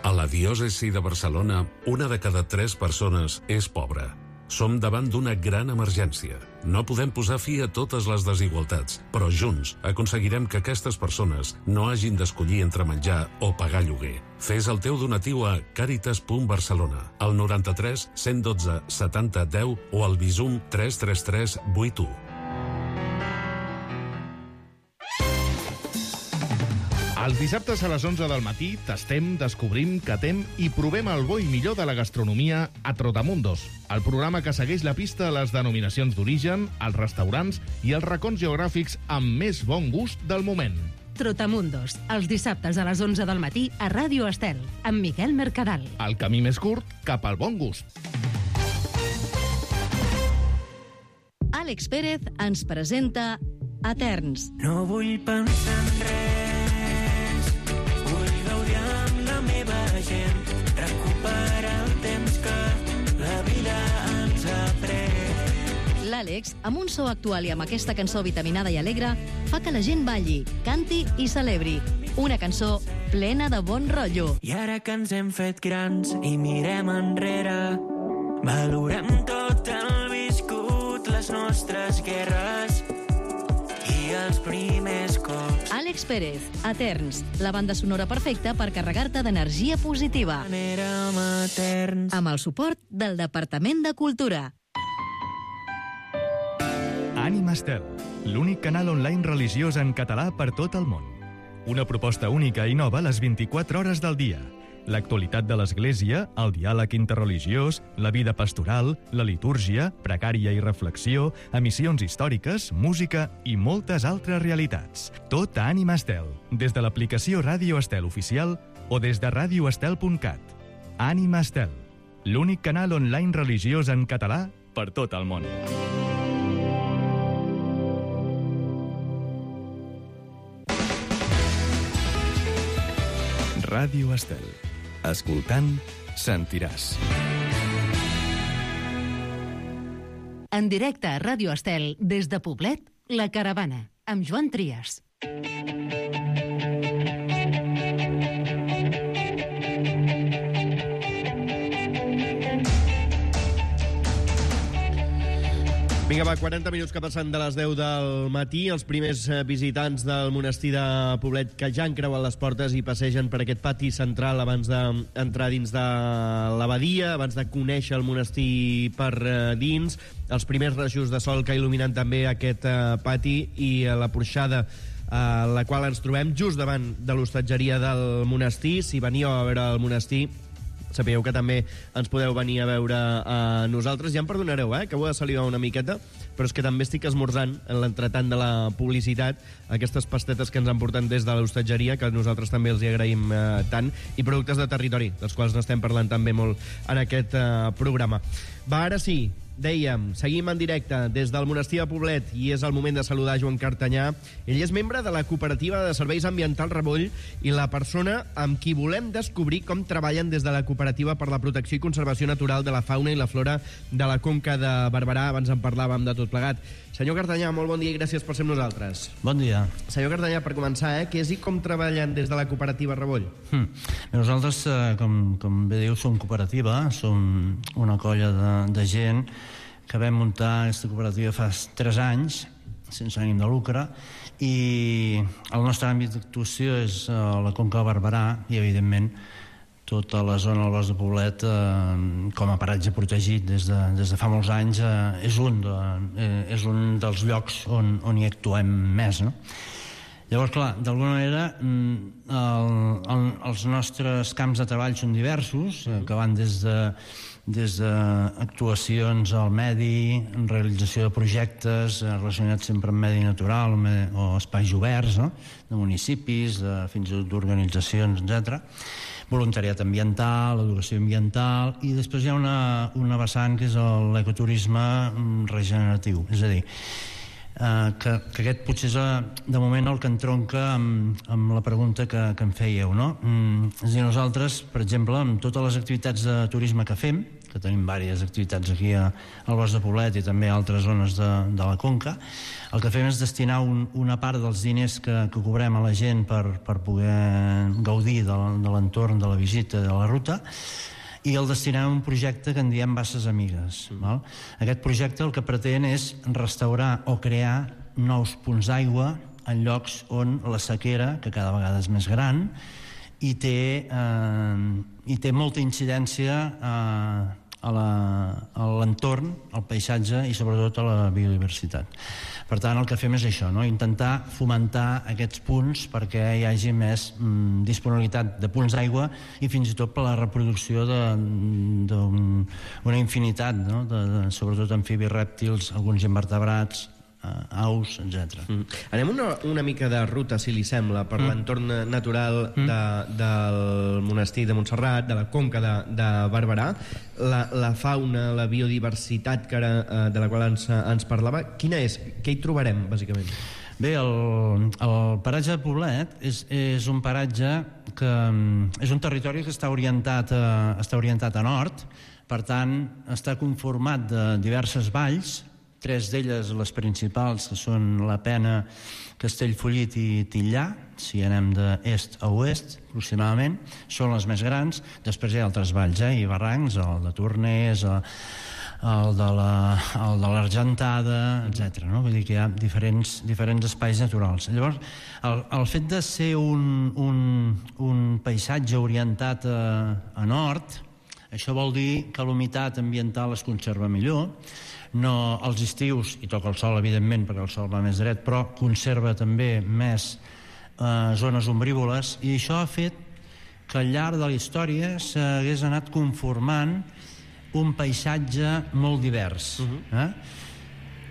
A la diòcesi de Barcelona, una de cada tres persones és pobra. Som davant d'una gran emergència. No podem posar fi a totes les desigualtats, però junts aconseguirem que aquestes persones no hagin d'escollir entre menjar o pagar lloguer. Fes el teu donatiu a caritas punt barcelona, al noranta-tres cent dotze setanta deu o al Bizum tres tres tres vuit u. Els dissabtes a les onze del matí tastem, descobrim, catem i provem el bo i millor de la gastronomia a Trotamundos, el programa que segueix la pista a les denominacions d'origen, els restaurants i els racons geogràfics amb més bon gust del moment. Trotamundos, els dissabtes a les onze del matí a Ràdio Estel, amb Miquel Mercadal. El camí més curt cap al bon gust. Àlex Pérez ens presenta Eterns. No vull pensar en res, vull gaudir amb la meva gent, recuperar el temps que la vida ens ha pres. L'Àlex, amb un so actual i amb aquesta cançó vitaminada i alegre, fa que la gent balli, canti i celebri. Una cançó plena de bon rotllo. I ara que ens hem fet grans i mirem enrere, valorem tot el viscut, les nostres guerres i els primers cops. Àlex Àlex Pérez, Eterns, la banda sonora perfecta per carregar-te d'energia positiva. Amb el suport del Departament de Cultura. Ànima Estel, l'únic canal online religiós en català per tot el món. Una proposta única i nova a les vint-i-quatre hores del dia. L'actualitat de l'Església, el diàleg interreligiós, la vida pastoral, la litúrgia, precària i reflexió, emissions històriques, música i moltes altres realitats. Tot a Ànima Estel, des de l'aplicació Ràdio Estel Oficial o des de ràdio estel punt cat. Ànima Estel, l'únic canal online religiós en català per tot el món. Ràdio Estel. Escoltant, sentiràs. En directe a Ràdio Estel, des de Poblet, La Caravana, amb Joan Trias. Vinga, va, quaranta minuts que passen de les deu del matí. Els primers visitants del monestir de Poblet que ja han creuat les portes i passegen per aquest pati central abans d'entrar dins de l'abadia, abans de conèixer el monestir per dins. Els primers rajos de sol que il·luminen també aquest pati i la porxada a la qual ens trobem just davant de l'hostatgeria del monestir. Si veníeu a veure el monestir, sapigueu que també ens podeu venir a veure a nosaltres. Ja em perdonareu, eh, que ho he de salivar una miqueta, però és que també estic esmorzant en l'entretant de la publicitat aquestes pastetes que ens han portat des de l'hostatgeria, que nosaltres també els hi agraïm eh, tant, i productes de territori, dels quals n'estem parlant també molt en aquest eh, programa. Va, ara sí, dèiem, seguim en directe des del monestir de Poblet i és el moment de saludar Joan Cartanyà. Ell és membre de la cooperativa de serveis ambientals Revoll i la persona amb qui volem descobrir com treballen des de la cooperativa per la protecció i conservació natural de la fauna i la flora de la Conca de Barberà. Abans en parlàvem de tot plegat. Senyor Cartanyà, molt bon dia i gràcies per ser amb nosaltres. Bon dia. Senyor Cartanyà, per començar, eh, què és i com treballen des de la cooperativa Revoll? Hmm. Nosaltres, eh, com, com bé diu, som cooperativa, som una colla de, de gent que vam muntar aquesta cooperativa fa tres anys, sense ànim de lucre, i el nostre àmbit d'actuació és eh, la Conca de Barberà i, evidentment, tota la zona del Bosc de Poblet eh, com a paratge protegit des de, des de fa molts anys eh, és, un de, eh, és un dels llocs on, on hi actuem més, no? Llavors, clar, d'alguna manera el, el, els nostres camps de treball són diversos, eh, que van des de des d'actuacions al medi, realització de projectes relacionats sempre amb medi natural o espais oberts, no? De municipis, de, fins i tot d'organitzacions, etcètera. Voluntariat ambiental, educació ambiental, i després hi ha una, una vessant que és l'ecoturisme regeneratiu, és a dir, Uh, que, que aquest potser és uh, de moment el que entronca amb, amb la pregunta que, que em fèieu, no? Mm, és a dir, nosaltres, per exemple, amb totes les activitats de turisme que fem, que tenim diverses activitats aquí a, al Bosc de Poblet i també a altres zones de, de la Conca, el que fem és destinar un, una part dels diners que, que cobrem a la gent per, per poder gaudir de, de l'entorn, de la visita, de la ruta, i el destinem a un projecte que en diem Basses Amigues. Val? Aquest projecte el que pretén és restaurar o crear nous punts d'aigua en llocs on la sequera, que cada vegada és més gran, i té, eh, i té molta incidència eh, a l'entorn, al paisatge i sobretot a la biodiversitat. Per tant, el que fem és això, no? Intentar fomentar aquests punts perquè hi hagi més mm, disponibilitat de punts d'aigua i fins i tot per la reproducció d'una infinitat, no? de, de, sobretot amfibis, rèptils, alguns invertebrats, eh, aus, etcètera. Mm. Anem una, una mica de ruta, si li sembla, per mm. l'entorn natural mm. de, del monestir de Montserrat, de la Conca de, de Barberà, la, la fauna, la biodiversitat que ara, eh, de la qual ens, ens parlava, quina és? Què hi trobarem, bàsicament? Bé, el, el paratge de Poblet és, és un paratge que és un territori que està orientat a, està orientat a nord, per tant, està conformat de diverses valls tres d'elles, les principals, que són la Pena, Castellfollit i Tillà, si anem d'est a oest, aproximadament, són les més grans. Després hi ha altres valls eh, i barrancs, el de Torners, el de l'Argentada, etcètera. No? Vull dir que hi ha diferents, diferents espais naturals. Llavors, el, el fet de ser un, un, un paisatge orientat a, a nord, això vol dir que l'humitat ambiental es conserva millor. No, als estius hi toca el sol, evidentment, perquè el sol va més dret, però conserva també més eh, zones ombrívoles, i això ha fet que al llarg de la història s'hagués anat conformant un paisatge molt divers. Uh-huh. eh?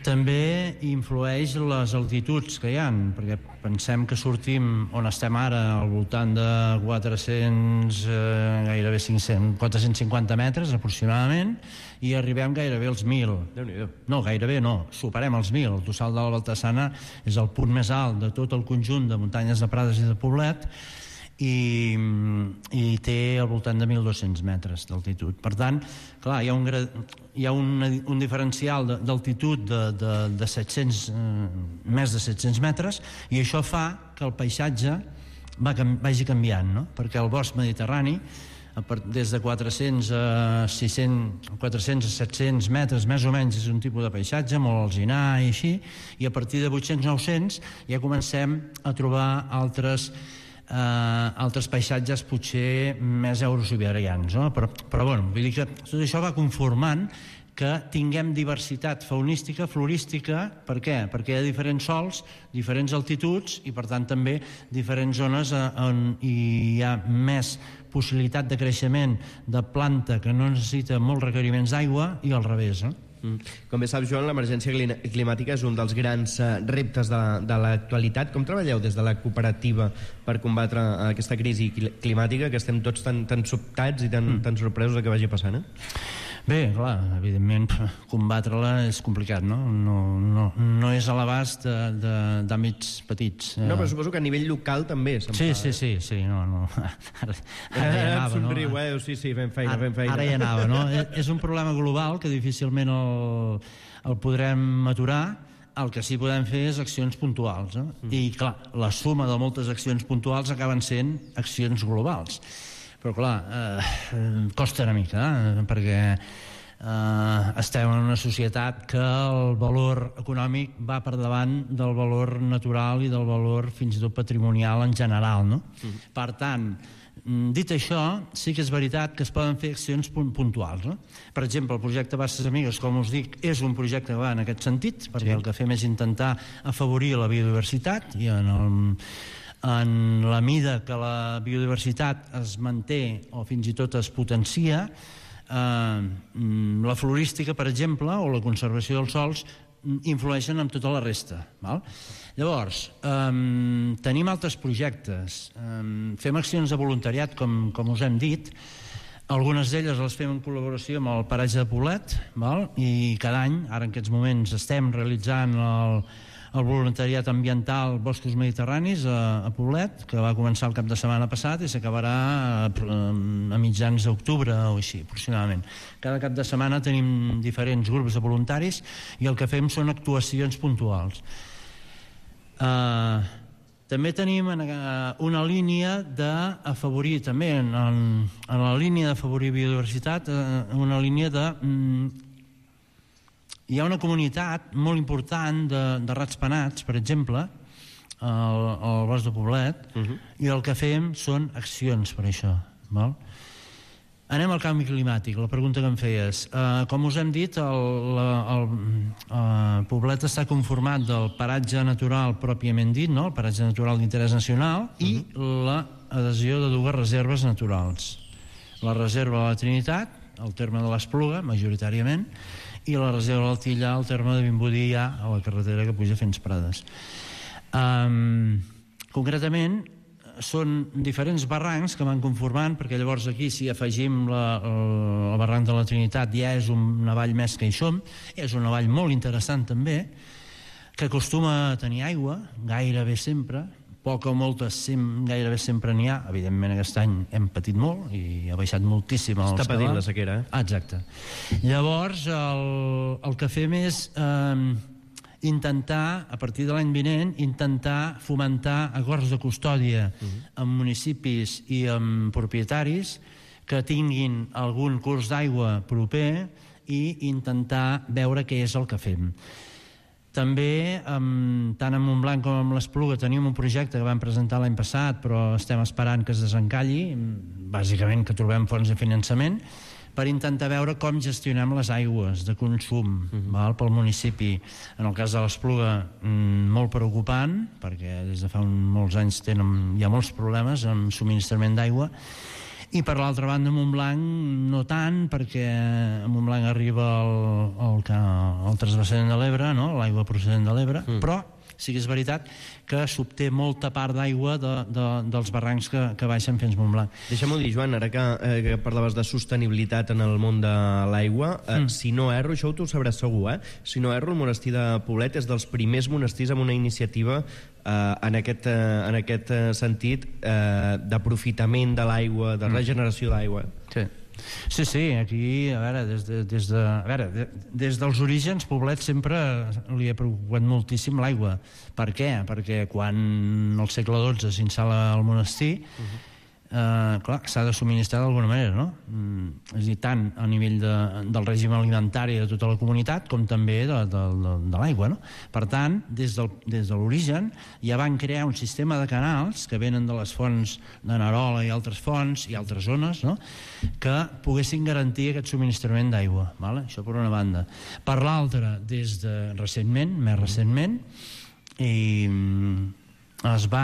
També influeix les altituds que hi ha, perquè pensem que sortim on estem ara, al voltant de quatre-cents, eh, gairebé cinc-cents, quatre-cents cinquanta metres aproximadament, i arribem gairebé als mil. Déu-n'hi-do. No, gairebé no, superem els mil. El Tossal de la Baltasana és el punt més alt de tot el conjunt de muntanyes de Prades i de Poblet, i, i té al voltant de mil dos-cents metres d'altitud. Per tant, clar, hi ha un, hi ha un, un diferencial d'altitud de, de, de set-cents, eh, més de set-cents metres, i això fa que el paisatge va, vagi canviant, no? Perquè el bosc mediterrani, des de quatre-cents a sis-cents, quatre-cents a set-cents metres més o menys, és un tipus de paisatge molt alzinar i així, i a partir de vuit-cents a nou-cents ja comencem a trobar altres Uh, altres paisatges potser més eurosiberians, no? però, però bueno, vull dir que tot això va conformant que tinguem diversitat faunística, florística. Per què? Perquè hi ha diferents sols, diferents altituds, i per tant també diferents zones on hi ha més possibilitat de creixement de planta que no necessita molts requeriments d'aigua, i al revés, no? Com bé saps, Joan, l'emergència climàtica és un dels grans reptes de, de l'actualitat. Com treballeu des de la cooperativa per combatre aquesta crisi climàtica, que estem tots tan, tan sobtats i tan, mm. tan sorpresos de que vagi passant? Eh? Bé, clar, evidentment combatre-la és complicat, no? No, no, no és a l'abast d'àmbits petits. No, però suposo que a nivell local també se'n sí, fa. Sí, sí, sí, no, no. Ara, ara hi anava, no? Somriu, eh? Sí, sí, fem feina, fem feina. Ara hi anava, no? És un problema global que difícilment el, el podrem aturar. El que sí podem fer és accions puntuals, no? Mm. I, clar, la suma de moltes accions puntuals acaben sent accions globals. Però, clar, eh, costa una mica, eh, perquè eh, estem en una societat que el valor econòmic va per davant del valor natural i del valor fins i tot patrimonial en general, no? Mm. Per tant, dit això, sí que és veritat que es poden fer accions puntuals, no? Per exemple, el projecte Basses Amigues, com us dic, és un projecte que va en aquest sentit, perquè sí. El que fem és intentar afavorir la biodiversitat, i en el... en la mida que la biodiversitat es manté o fins i tot es potencia, eh, la florística, per exemple, o la conservació dels sòls influeixen en tota la resta. Val? Llavors, eh, tenim altres projectes, eh, fem accions de voluntariat, com, com us hem dit. Algunes d'elles les fem en col·laboració amb el paratge de Poblet, val? I cada any, ara en aquests moments, estem realitzant el el voluntariat ambiental Boscos Mediterranis a, a Poblet, que va començar el cap de setmana passat i s'acabarà a, a mitjans d'octubre o així, aproximadament. Cada cap de setmana tenim diferents grups de voluntaris i el que fem són actuacions puntuals. Uh, també tenim una línia d'afavorir, també en, en la línia d'afavorir biodiversitat, una línia de... Hi ha una comunitat molt important de, de rats penats, per exemple, al, al bosc de Poblet, uh-huh. i el que fem són accions per això. Val? Anem al canvi climàtic, la pregunta que em feies. Uh, com us hem dit, el, el, el Poblet està conformat del paratge natural pròpiament dit, no? El paratge natural d'interès nacional, uh-huh. i l'adhesió de dues reserves naturals. La reserva de la Trinitat, al terme de l'Espluga, majoritàriament, i la reserva del Tillà, al terme de Vimbodí, ja a la carretera que puja fins Prades. Um, concretament, són diferents barrancs que van conformant, perquè llavors aquí, si afegim la, el, el barranc de la Trinitat, ja és una vall més que hi som, és una vall molt interessant també, que acostuma a tenir aigua, gairebé sempre, poca o molta, sem, gairebé sempre n'hi ha. Evidentment aquest any hem patit molt i ha baixat moltíssim els Està patint cabals. la sequera, eh? Exacte. Llavors, el, el que fem és eh, intentar, a partir de l'any vinent, intentar fomentar acords de custòdia uh-huh. amb municipis i amb propietaris que tinguin algun curs d'aigua proper i intentar veure què és el que fem. També, tant en Montblanc com en l'Espluga, tenim un projecte que vam presentar l'any passat, però estem esperant que es desencalli, bàsicament que trobem fonts de finançament, per intentar veure com gestionem les aigües de consum uh-huh. val, pel municipi. En el cas de l'Espluga, molt preocupant, perquè des de fa molts anys tenen, hi ha molts problemes amb subministrament d'aigua, i per l'altra banda a Montblanc no tant, perquè a Montblanc arriba el, el, el transvasament de l'Ebre, no? L'aigua procedent de l'Ebre, mm. però sí que és veritat que s'obté molta part d'aigua de, de, dels barrancs que, que baixen fins Montblanc. Deixa'm-ho dir, Joan, ara que, eh, que parlaves de sostenibilitat en el món de l'aigua, eh, mm. si no erro, això tu ho sabràs segur, eh? Si no erro, el monestir de Poblet és dels primers monestirs amb una iniciativa eh, en, aquest, eh, en aquest sentit eh, d'aprofitament de l'aigua, de regeneració d'aigua. Sí. Sí, sí, aquí, a veure, des, de, des, de, a veure, de, des dels orígens, Poblet sempre li ha preocupat moltíssim l'aigua. Per què? Perquè quan al segle dotze s'instal·la el monestir, uh-huh. eh, clar, s'ha de subministrar d'alguna manera, no? Mm, és a dir, tant a nivell de, del règim alimentari de tota la comunitat com també de, de, de, de l'aigua, no? Per tant, des, del, des de l'origen ja van crear un sistema de canals que venen de les fonts de Narola i altres fonts i altres zones, no?, que poguessin garantir aquest subministrament d'aigua, vale? Això per una banda. Per l'altra, des de recentment, més recentment, i es va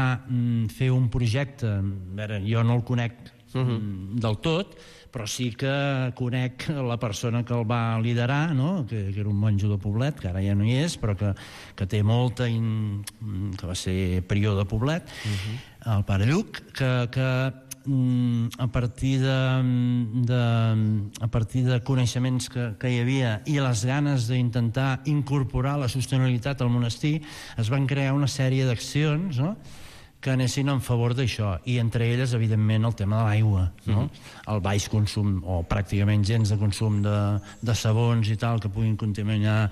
fer un projecte, a veure, jo no el conec uh-huh. del tot, però sí que conec la persona que el va liderar, no? que, que era un monjo de Poblet, que ara ja no hi és, però que, que té molta, in... que va ser prior de Poblet, uh-huh. el pare Lluc, que, que a partir de, de, a partir de coneixements que, que hi havia i les ganes d'intentar incorporar la sostenibilitat al monestir, es van crear una sèrie d'accions, no?, que anessin en favor d'això, i entre elles, evidentment, el tema de l'aigua, no? Mm-hmm. El baix consum, o pràcticament gens de consum de, de sabons i tal, que puguin contaminar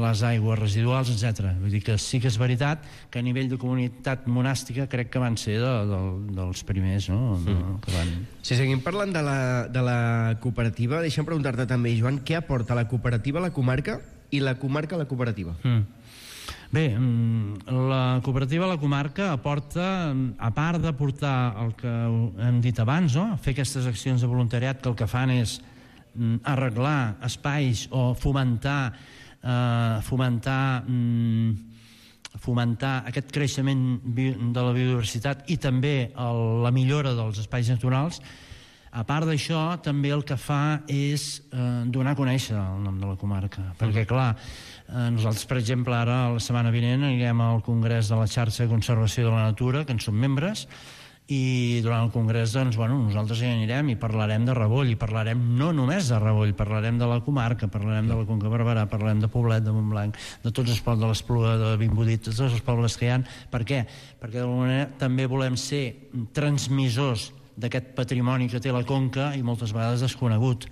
les aigües residuals, etcètera. Vull dir que sí que és veritat que a nivell de comunitat monàstica crec que van ser de, de, dels primers, no? Mm. Que van... Si seguim parlant de la, de la cooperativa, deixa'm preguntar-te també, Joan, què aporta la cooperativa a la comarca i la comarca a la cooperativa? Mm. Bé, la cooperativa a la comarca aporta, a part d'aportar el que hem dit abans, no?, fer aquestes accions de voluntariat que el que fan és arreglar espais o fomentar eh, fomentar fomentar aquest creixement de la biodiversitat i també el, la millora dels espais naturals. A part d'això, també el que fa és eh, donar a conèixer el nom de la comarca, perquè, clar, eh, nosaltres, per exemple, ara, la setmana vinent, anirem al Congrés de la Xarxa de Conservació de la Natura, que en som membres, i durant el Congrés, doncs, bueno, nosaltres hi anirem i parlarem de Ripoll, i parlarem no només de Ripoll, parlarem de la comarca, parlarem de la Conca Barberà, parlarem de Poblet, de Montblanc, de tots els pobles de l'Espluga, de Vimbodí, de tots els pobles que hi ha. Per què? Perquè d'alguna manera també volem ser transmissors d'aquest patrimoni que té la Conca i moltes vegades desconegut.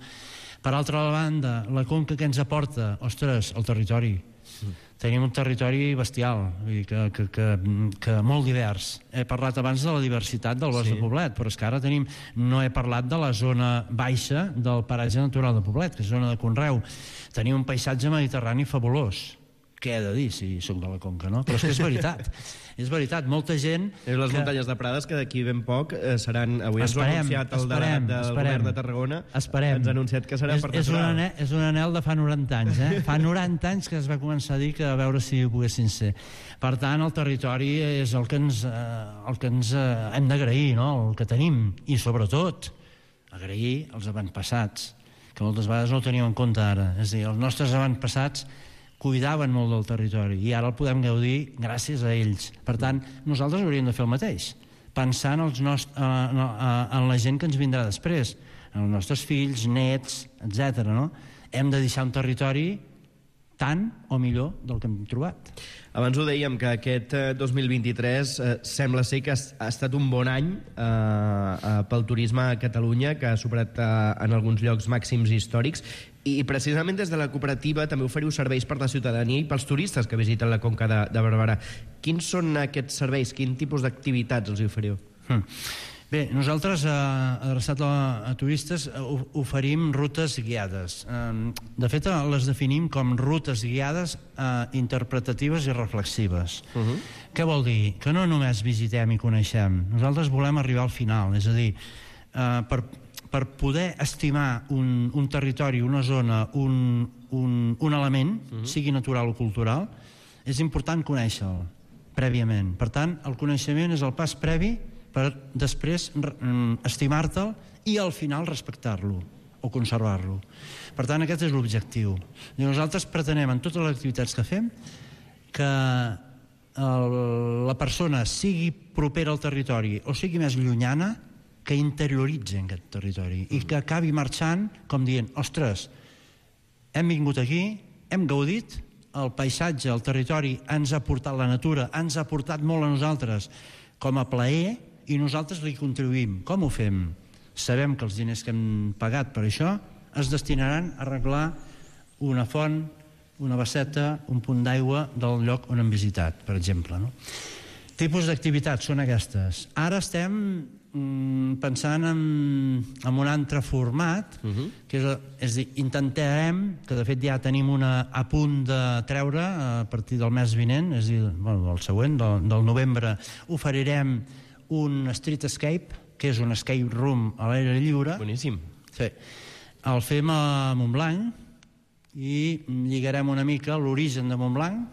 Per altra banda, la Conca que ens aporta, ostres, el territori. Tenim un territori bestial, vull dir que, que, que, que molt divers. He parlat abans de la diversitat del bosc sí. de Poblet, però és que ara tenim, no he parlat de la zona baixa del paratge natural de Poblet, que és zona de conreu. Tenim un paisatge mediterrani fabulós. Què he de dir si soc de la Conca, no? Però és que és veritat. És veritat, molta gent... És les que... muntanyes de Prades, que d'aquí ben poc eh, seran... Avui ens esperem, ho ha anunciat el esperem, delegat del esperem, govern de Tarragona. Esperem. Ens ha anunciat que serà és, per és, un natural. anel, és un anel de fa noranta anys, eh? Fa noranta anys que es va començar a dir que a veure si ho poguessin ser. Per tant, el territori és el que ens, eh, el que ens eh, hem d'agrair, no?, el que tenim. I, sobretot, agrair els avantpassats, que moltes vegades no ho tenim en compte ara. És a dir, els nostres avantpassats cuidaven molt del territori i ara el podem gaudir gràcies a ells. Per tant, nosaltres hauríem de fer el mateix, pensar en, els nost- eh, en la gent que ens vindrà després, en els nostres fills, nets, etcètera. No? Hem de deixar un territori tant o millor del que hem trobat. Abans ho dèiem, que aquest dos mil vint-i-tres eh, sembla ser que ha estat un bon any eh, eh, pel turisme a Catalunya, que ha superat eh, en alguns llocs màxims històrics, i precisament des de la cooperativa també oferiu serveis per la ciutadania i pels turistes que visiten la Conca de, de Barberà. Quins són aquests serveis? Quin tipus d'activitats els oferiu? Hmm. Bé, nosaltres, eh, adreçat a, a turistes, eh, oferim rutes guiades. Eh, de fet, les definim com rutes guiades eh, interpretatives i reflexives. Uh-huh. Què vol dir? Que no només visitem i coneixem. Nosaltres volem arribar al final, és a dir, eh, per, per poder estimar un, un territori, una zona, un, un, un element, uh-huh. sigui natural o cultural, és important conèixer-lo prèviament. Per tant, el coneixement és el pas previ per després estimar-te'l i al final respectar-lo o conservar-lo. Per tant, aquest és l'objectiu. Nosaltres pretenem en totes les activitats que fem que el, la persona sigui propera al territori o sigui més llunyana, que interioritzi en aquest territori i que acabi marxant com dient, ostres, hem vingut aquí, hem gaudit, el paisatge, el territori ens ha portat la natura, ens ha portat molt a nosaltres com a plaer, i nosaltres li contribuïm. Com ho fem? Sabem que els diners que hem pagat per això es destinaran a arreglar una font, una basseta, un punt d'aigua del lloc on hem visitat, per exemple. No? Tipus d'activitats són aquestes. Ara estem mm, pensant en, en un altre format, uh-huh. que és, és dir, intentarem, que de fet ja tenim una a punt de treure a partir del mes vinent, és a dir, bueno, el següent, del, del novembre, oferirem un street escape, que és un escape room a l'aire lliure. Boníssim. Sí. El fem a Montblanc i lligarem una mica l'origen de Montblanc,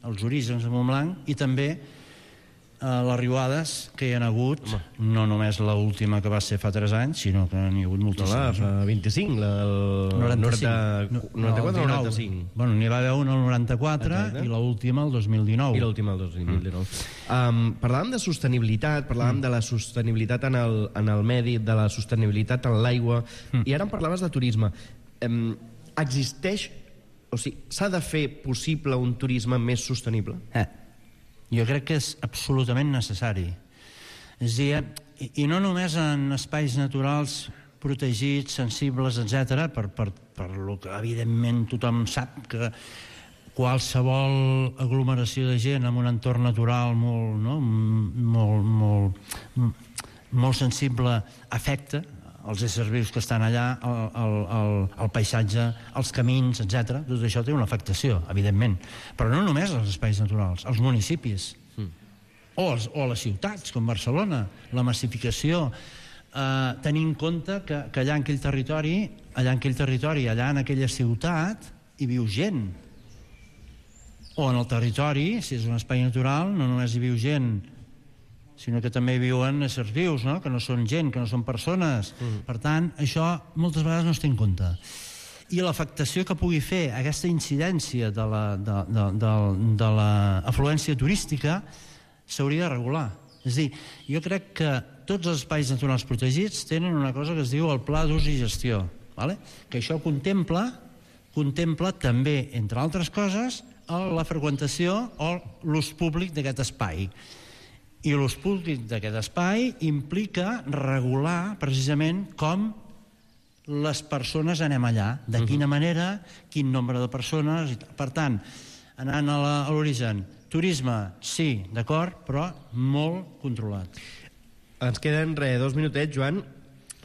els orígens de Montblanc, i també eh, les riuades que hi ha hagut, home. No només l'última que va ser fa tres anys, sinó que n'hi ha hagut moltíssimes. La vint-i-cinc, la del noranta-quatre o noranta-cinc? Bueno, n'hi va haver una al noranta-quatre. Exacte. I l'última el dos mil dinou. I l'última el dos mil dinou. Mm. Um, parlàvem de sostenibilitat, parlàvem mm. de la sostenibilitat en el, en el medi, de la sostenibilitat en l'aigua, mm. i ara em parlaves de turisme. Um, existeix, o sigui, s'ha de fer possible un turisme més sostenible? Eh. Jo crec que és absolutament necessari. És a dir, i, i no només en espais naturals protegits, sensibles, etcètera, per, per, per lo que evidentment tothom sap que qualsevol aglomeració de gent en un entorn natural molt, no? molt, molt, molt sensible afecta els éssers vius que estan allà, el, el, el, el paisatge, els camins, etcètera. Tot això té una afectació, evidentment. Però no només als espais naturals, als municipis, mm. o, als, o a les ciutats, com Barcelona, la massificació, eh, tenir en compte que, que allà en aquell territori, allà en aquell territori, allà en aquella ciutat, hi viu gent. O en el territori, si és un espai natural, no només hi viu gent, sinó que també viuen éssers vius, no? Que no són gent, que no són persones. Mm. Per tant, això moltes vegades no es té en compte. I l'afectació que pugui fer aquesta incidència de la, de, de, de, de l'afluència turística s'hauria de regular. És a dir, jo crec que tots els espais naturals protegits tenen una cosa que es diu el pla d'ús i gestió, vale? Que això contempla, contempla també, entre altres coses, la freqüentació o l'ús públic d'aquest espai. I l'ús públic d'aquest espai implica regular precisament com les persones anem allà, de quina manera, quin nombre de persones. Per tant, anant a l'origen, turisme, sí, d'acord, però molt controlat. Ens queden, re, dos minutets, Joan.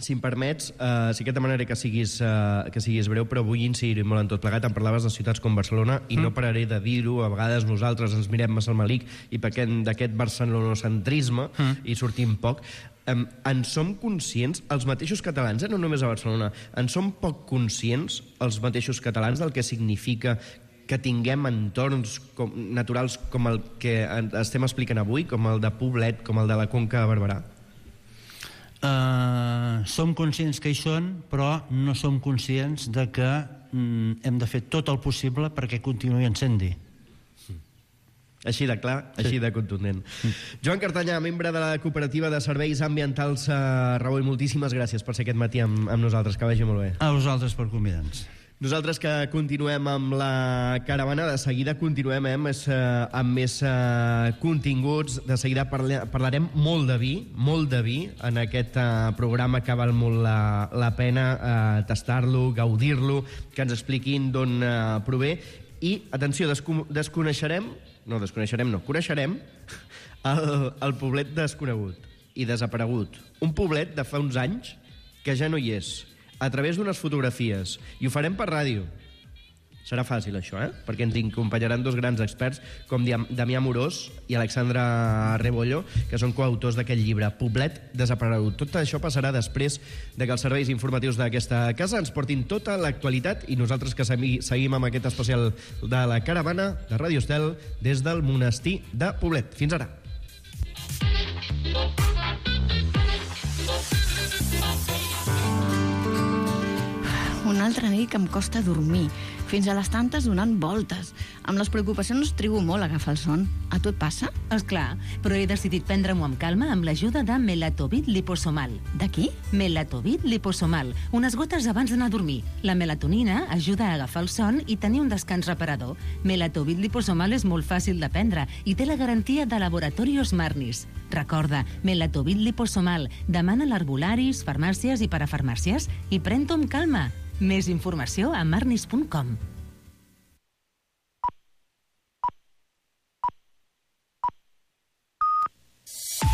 Si em permets, uh, sí que et demanaré que siguis, uh, que siguis breu, però vull incidir molt en tot plegat. Em parlaves de ciutats com Barcelona i mm. no pararé de dir-ho. A vegades nosaltres ens mirem massa al malic i perquè d'aquest barcelonocentrisme mm. i sortim poc. Um, en som conscients, els mateixos catalans, eh, no només a Barcelona, en som poc conscients, els mateixos catalans, del que significa que tinguem entorns com, naturals com el que estem explicant avui, com el de Poblet, com el de la Conca de Barberà? Uh, som conscients que hi són, però no som conscients de que mm, hem de fer tot el possible perquè continuï sent-hi. Així de clar, sí. Així de contundent. Mm. Joan Cartanyà, membre de la Cooperativa de Serveis Ambientals uh, Raboy, moltíssimes gràcies per ser aquest matí amb, amb nosaltres, que vagi molt bé. A vosaltres per convidar-nos. Nosaltres que continuem amb la caravana, de seguida continuem eh, amb més, eh, amb més eh, continguts, de seguida parla, parlarem molt de vi, molt de vi en aquest eh, programa que val molt la, la pena eh, tastar-lo, gaudir-lo, que ens expliquin d'on eh, prové. I, atenció, desco desconeixerem, no, desconeixerem no, coneixerem el, el poblet desconegut i desaparegut. Un poblet de fa uns anys que ja no hi és, a través d'unes fotografies, i ho farem per ràdio. Serà fàcil, això, eh? Perquè ens acompanyaran dos grans experts, com Damià Morós i Alexandra Rebollo, que són coautors d'aquest llibre, Poblet desaparegut. Tot això passarà després de que els serveis informatius d'aquesta casa ens portin tota l'actualitat, i nosaltres que seguim amb aquest especial de la caravana de Ràdio Estel des del monestir de Poblet. Fins ara. Una altra nit que em costa dormir, fins a les tantes donant voltes. Amb les preocupacions trigo molt a agafar el son. A tu et passa? Esclar, però he decidit prendre-m'ho amb calma amb l'ajuda de Melatovit liposomal. De qui? Melatovit liposomal, unes gotes abans d'anar a dormir. La melatonina ajuda a agafar el son i tenir un descans reparador. Melatovit liposomal és molt fàcil de prendre i té la garantia de Laboratorios Marnis. Recorda, Melatovit liposomal. Demana a l'herbolaris, farmàcies i parafarmàcies i pren-t'ho amb calma. Més informació a marnis punt com.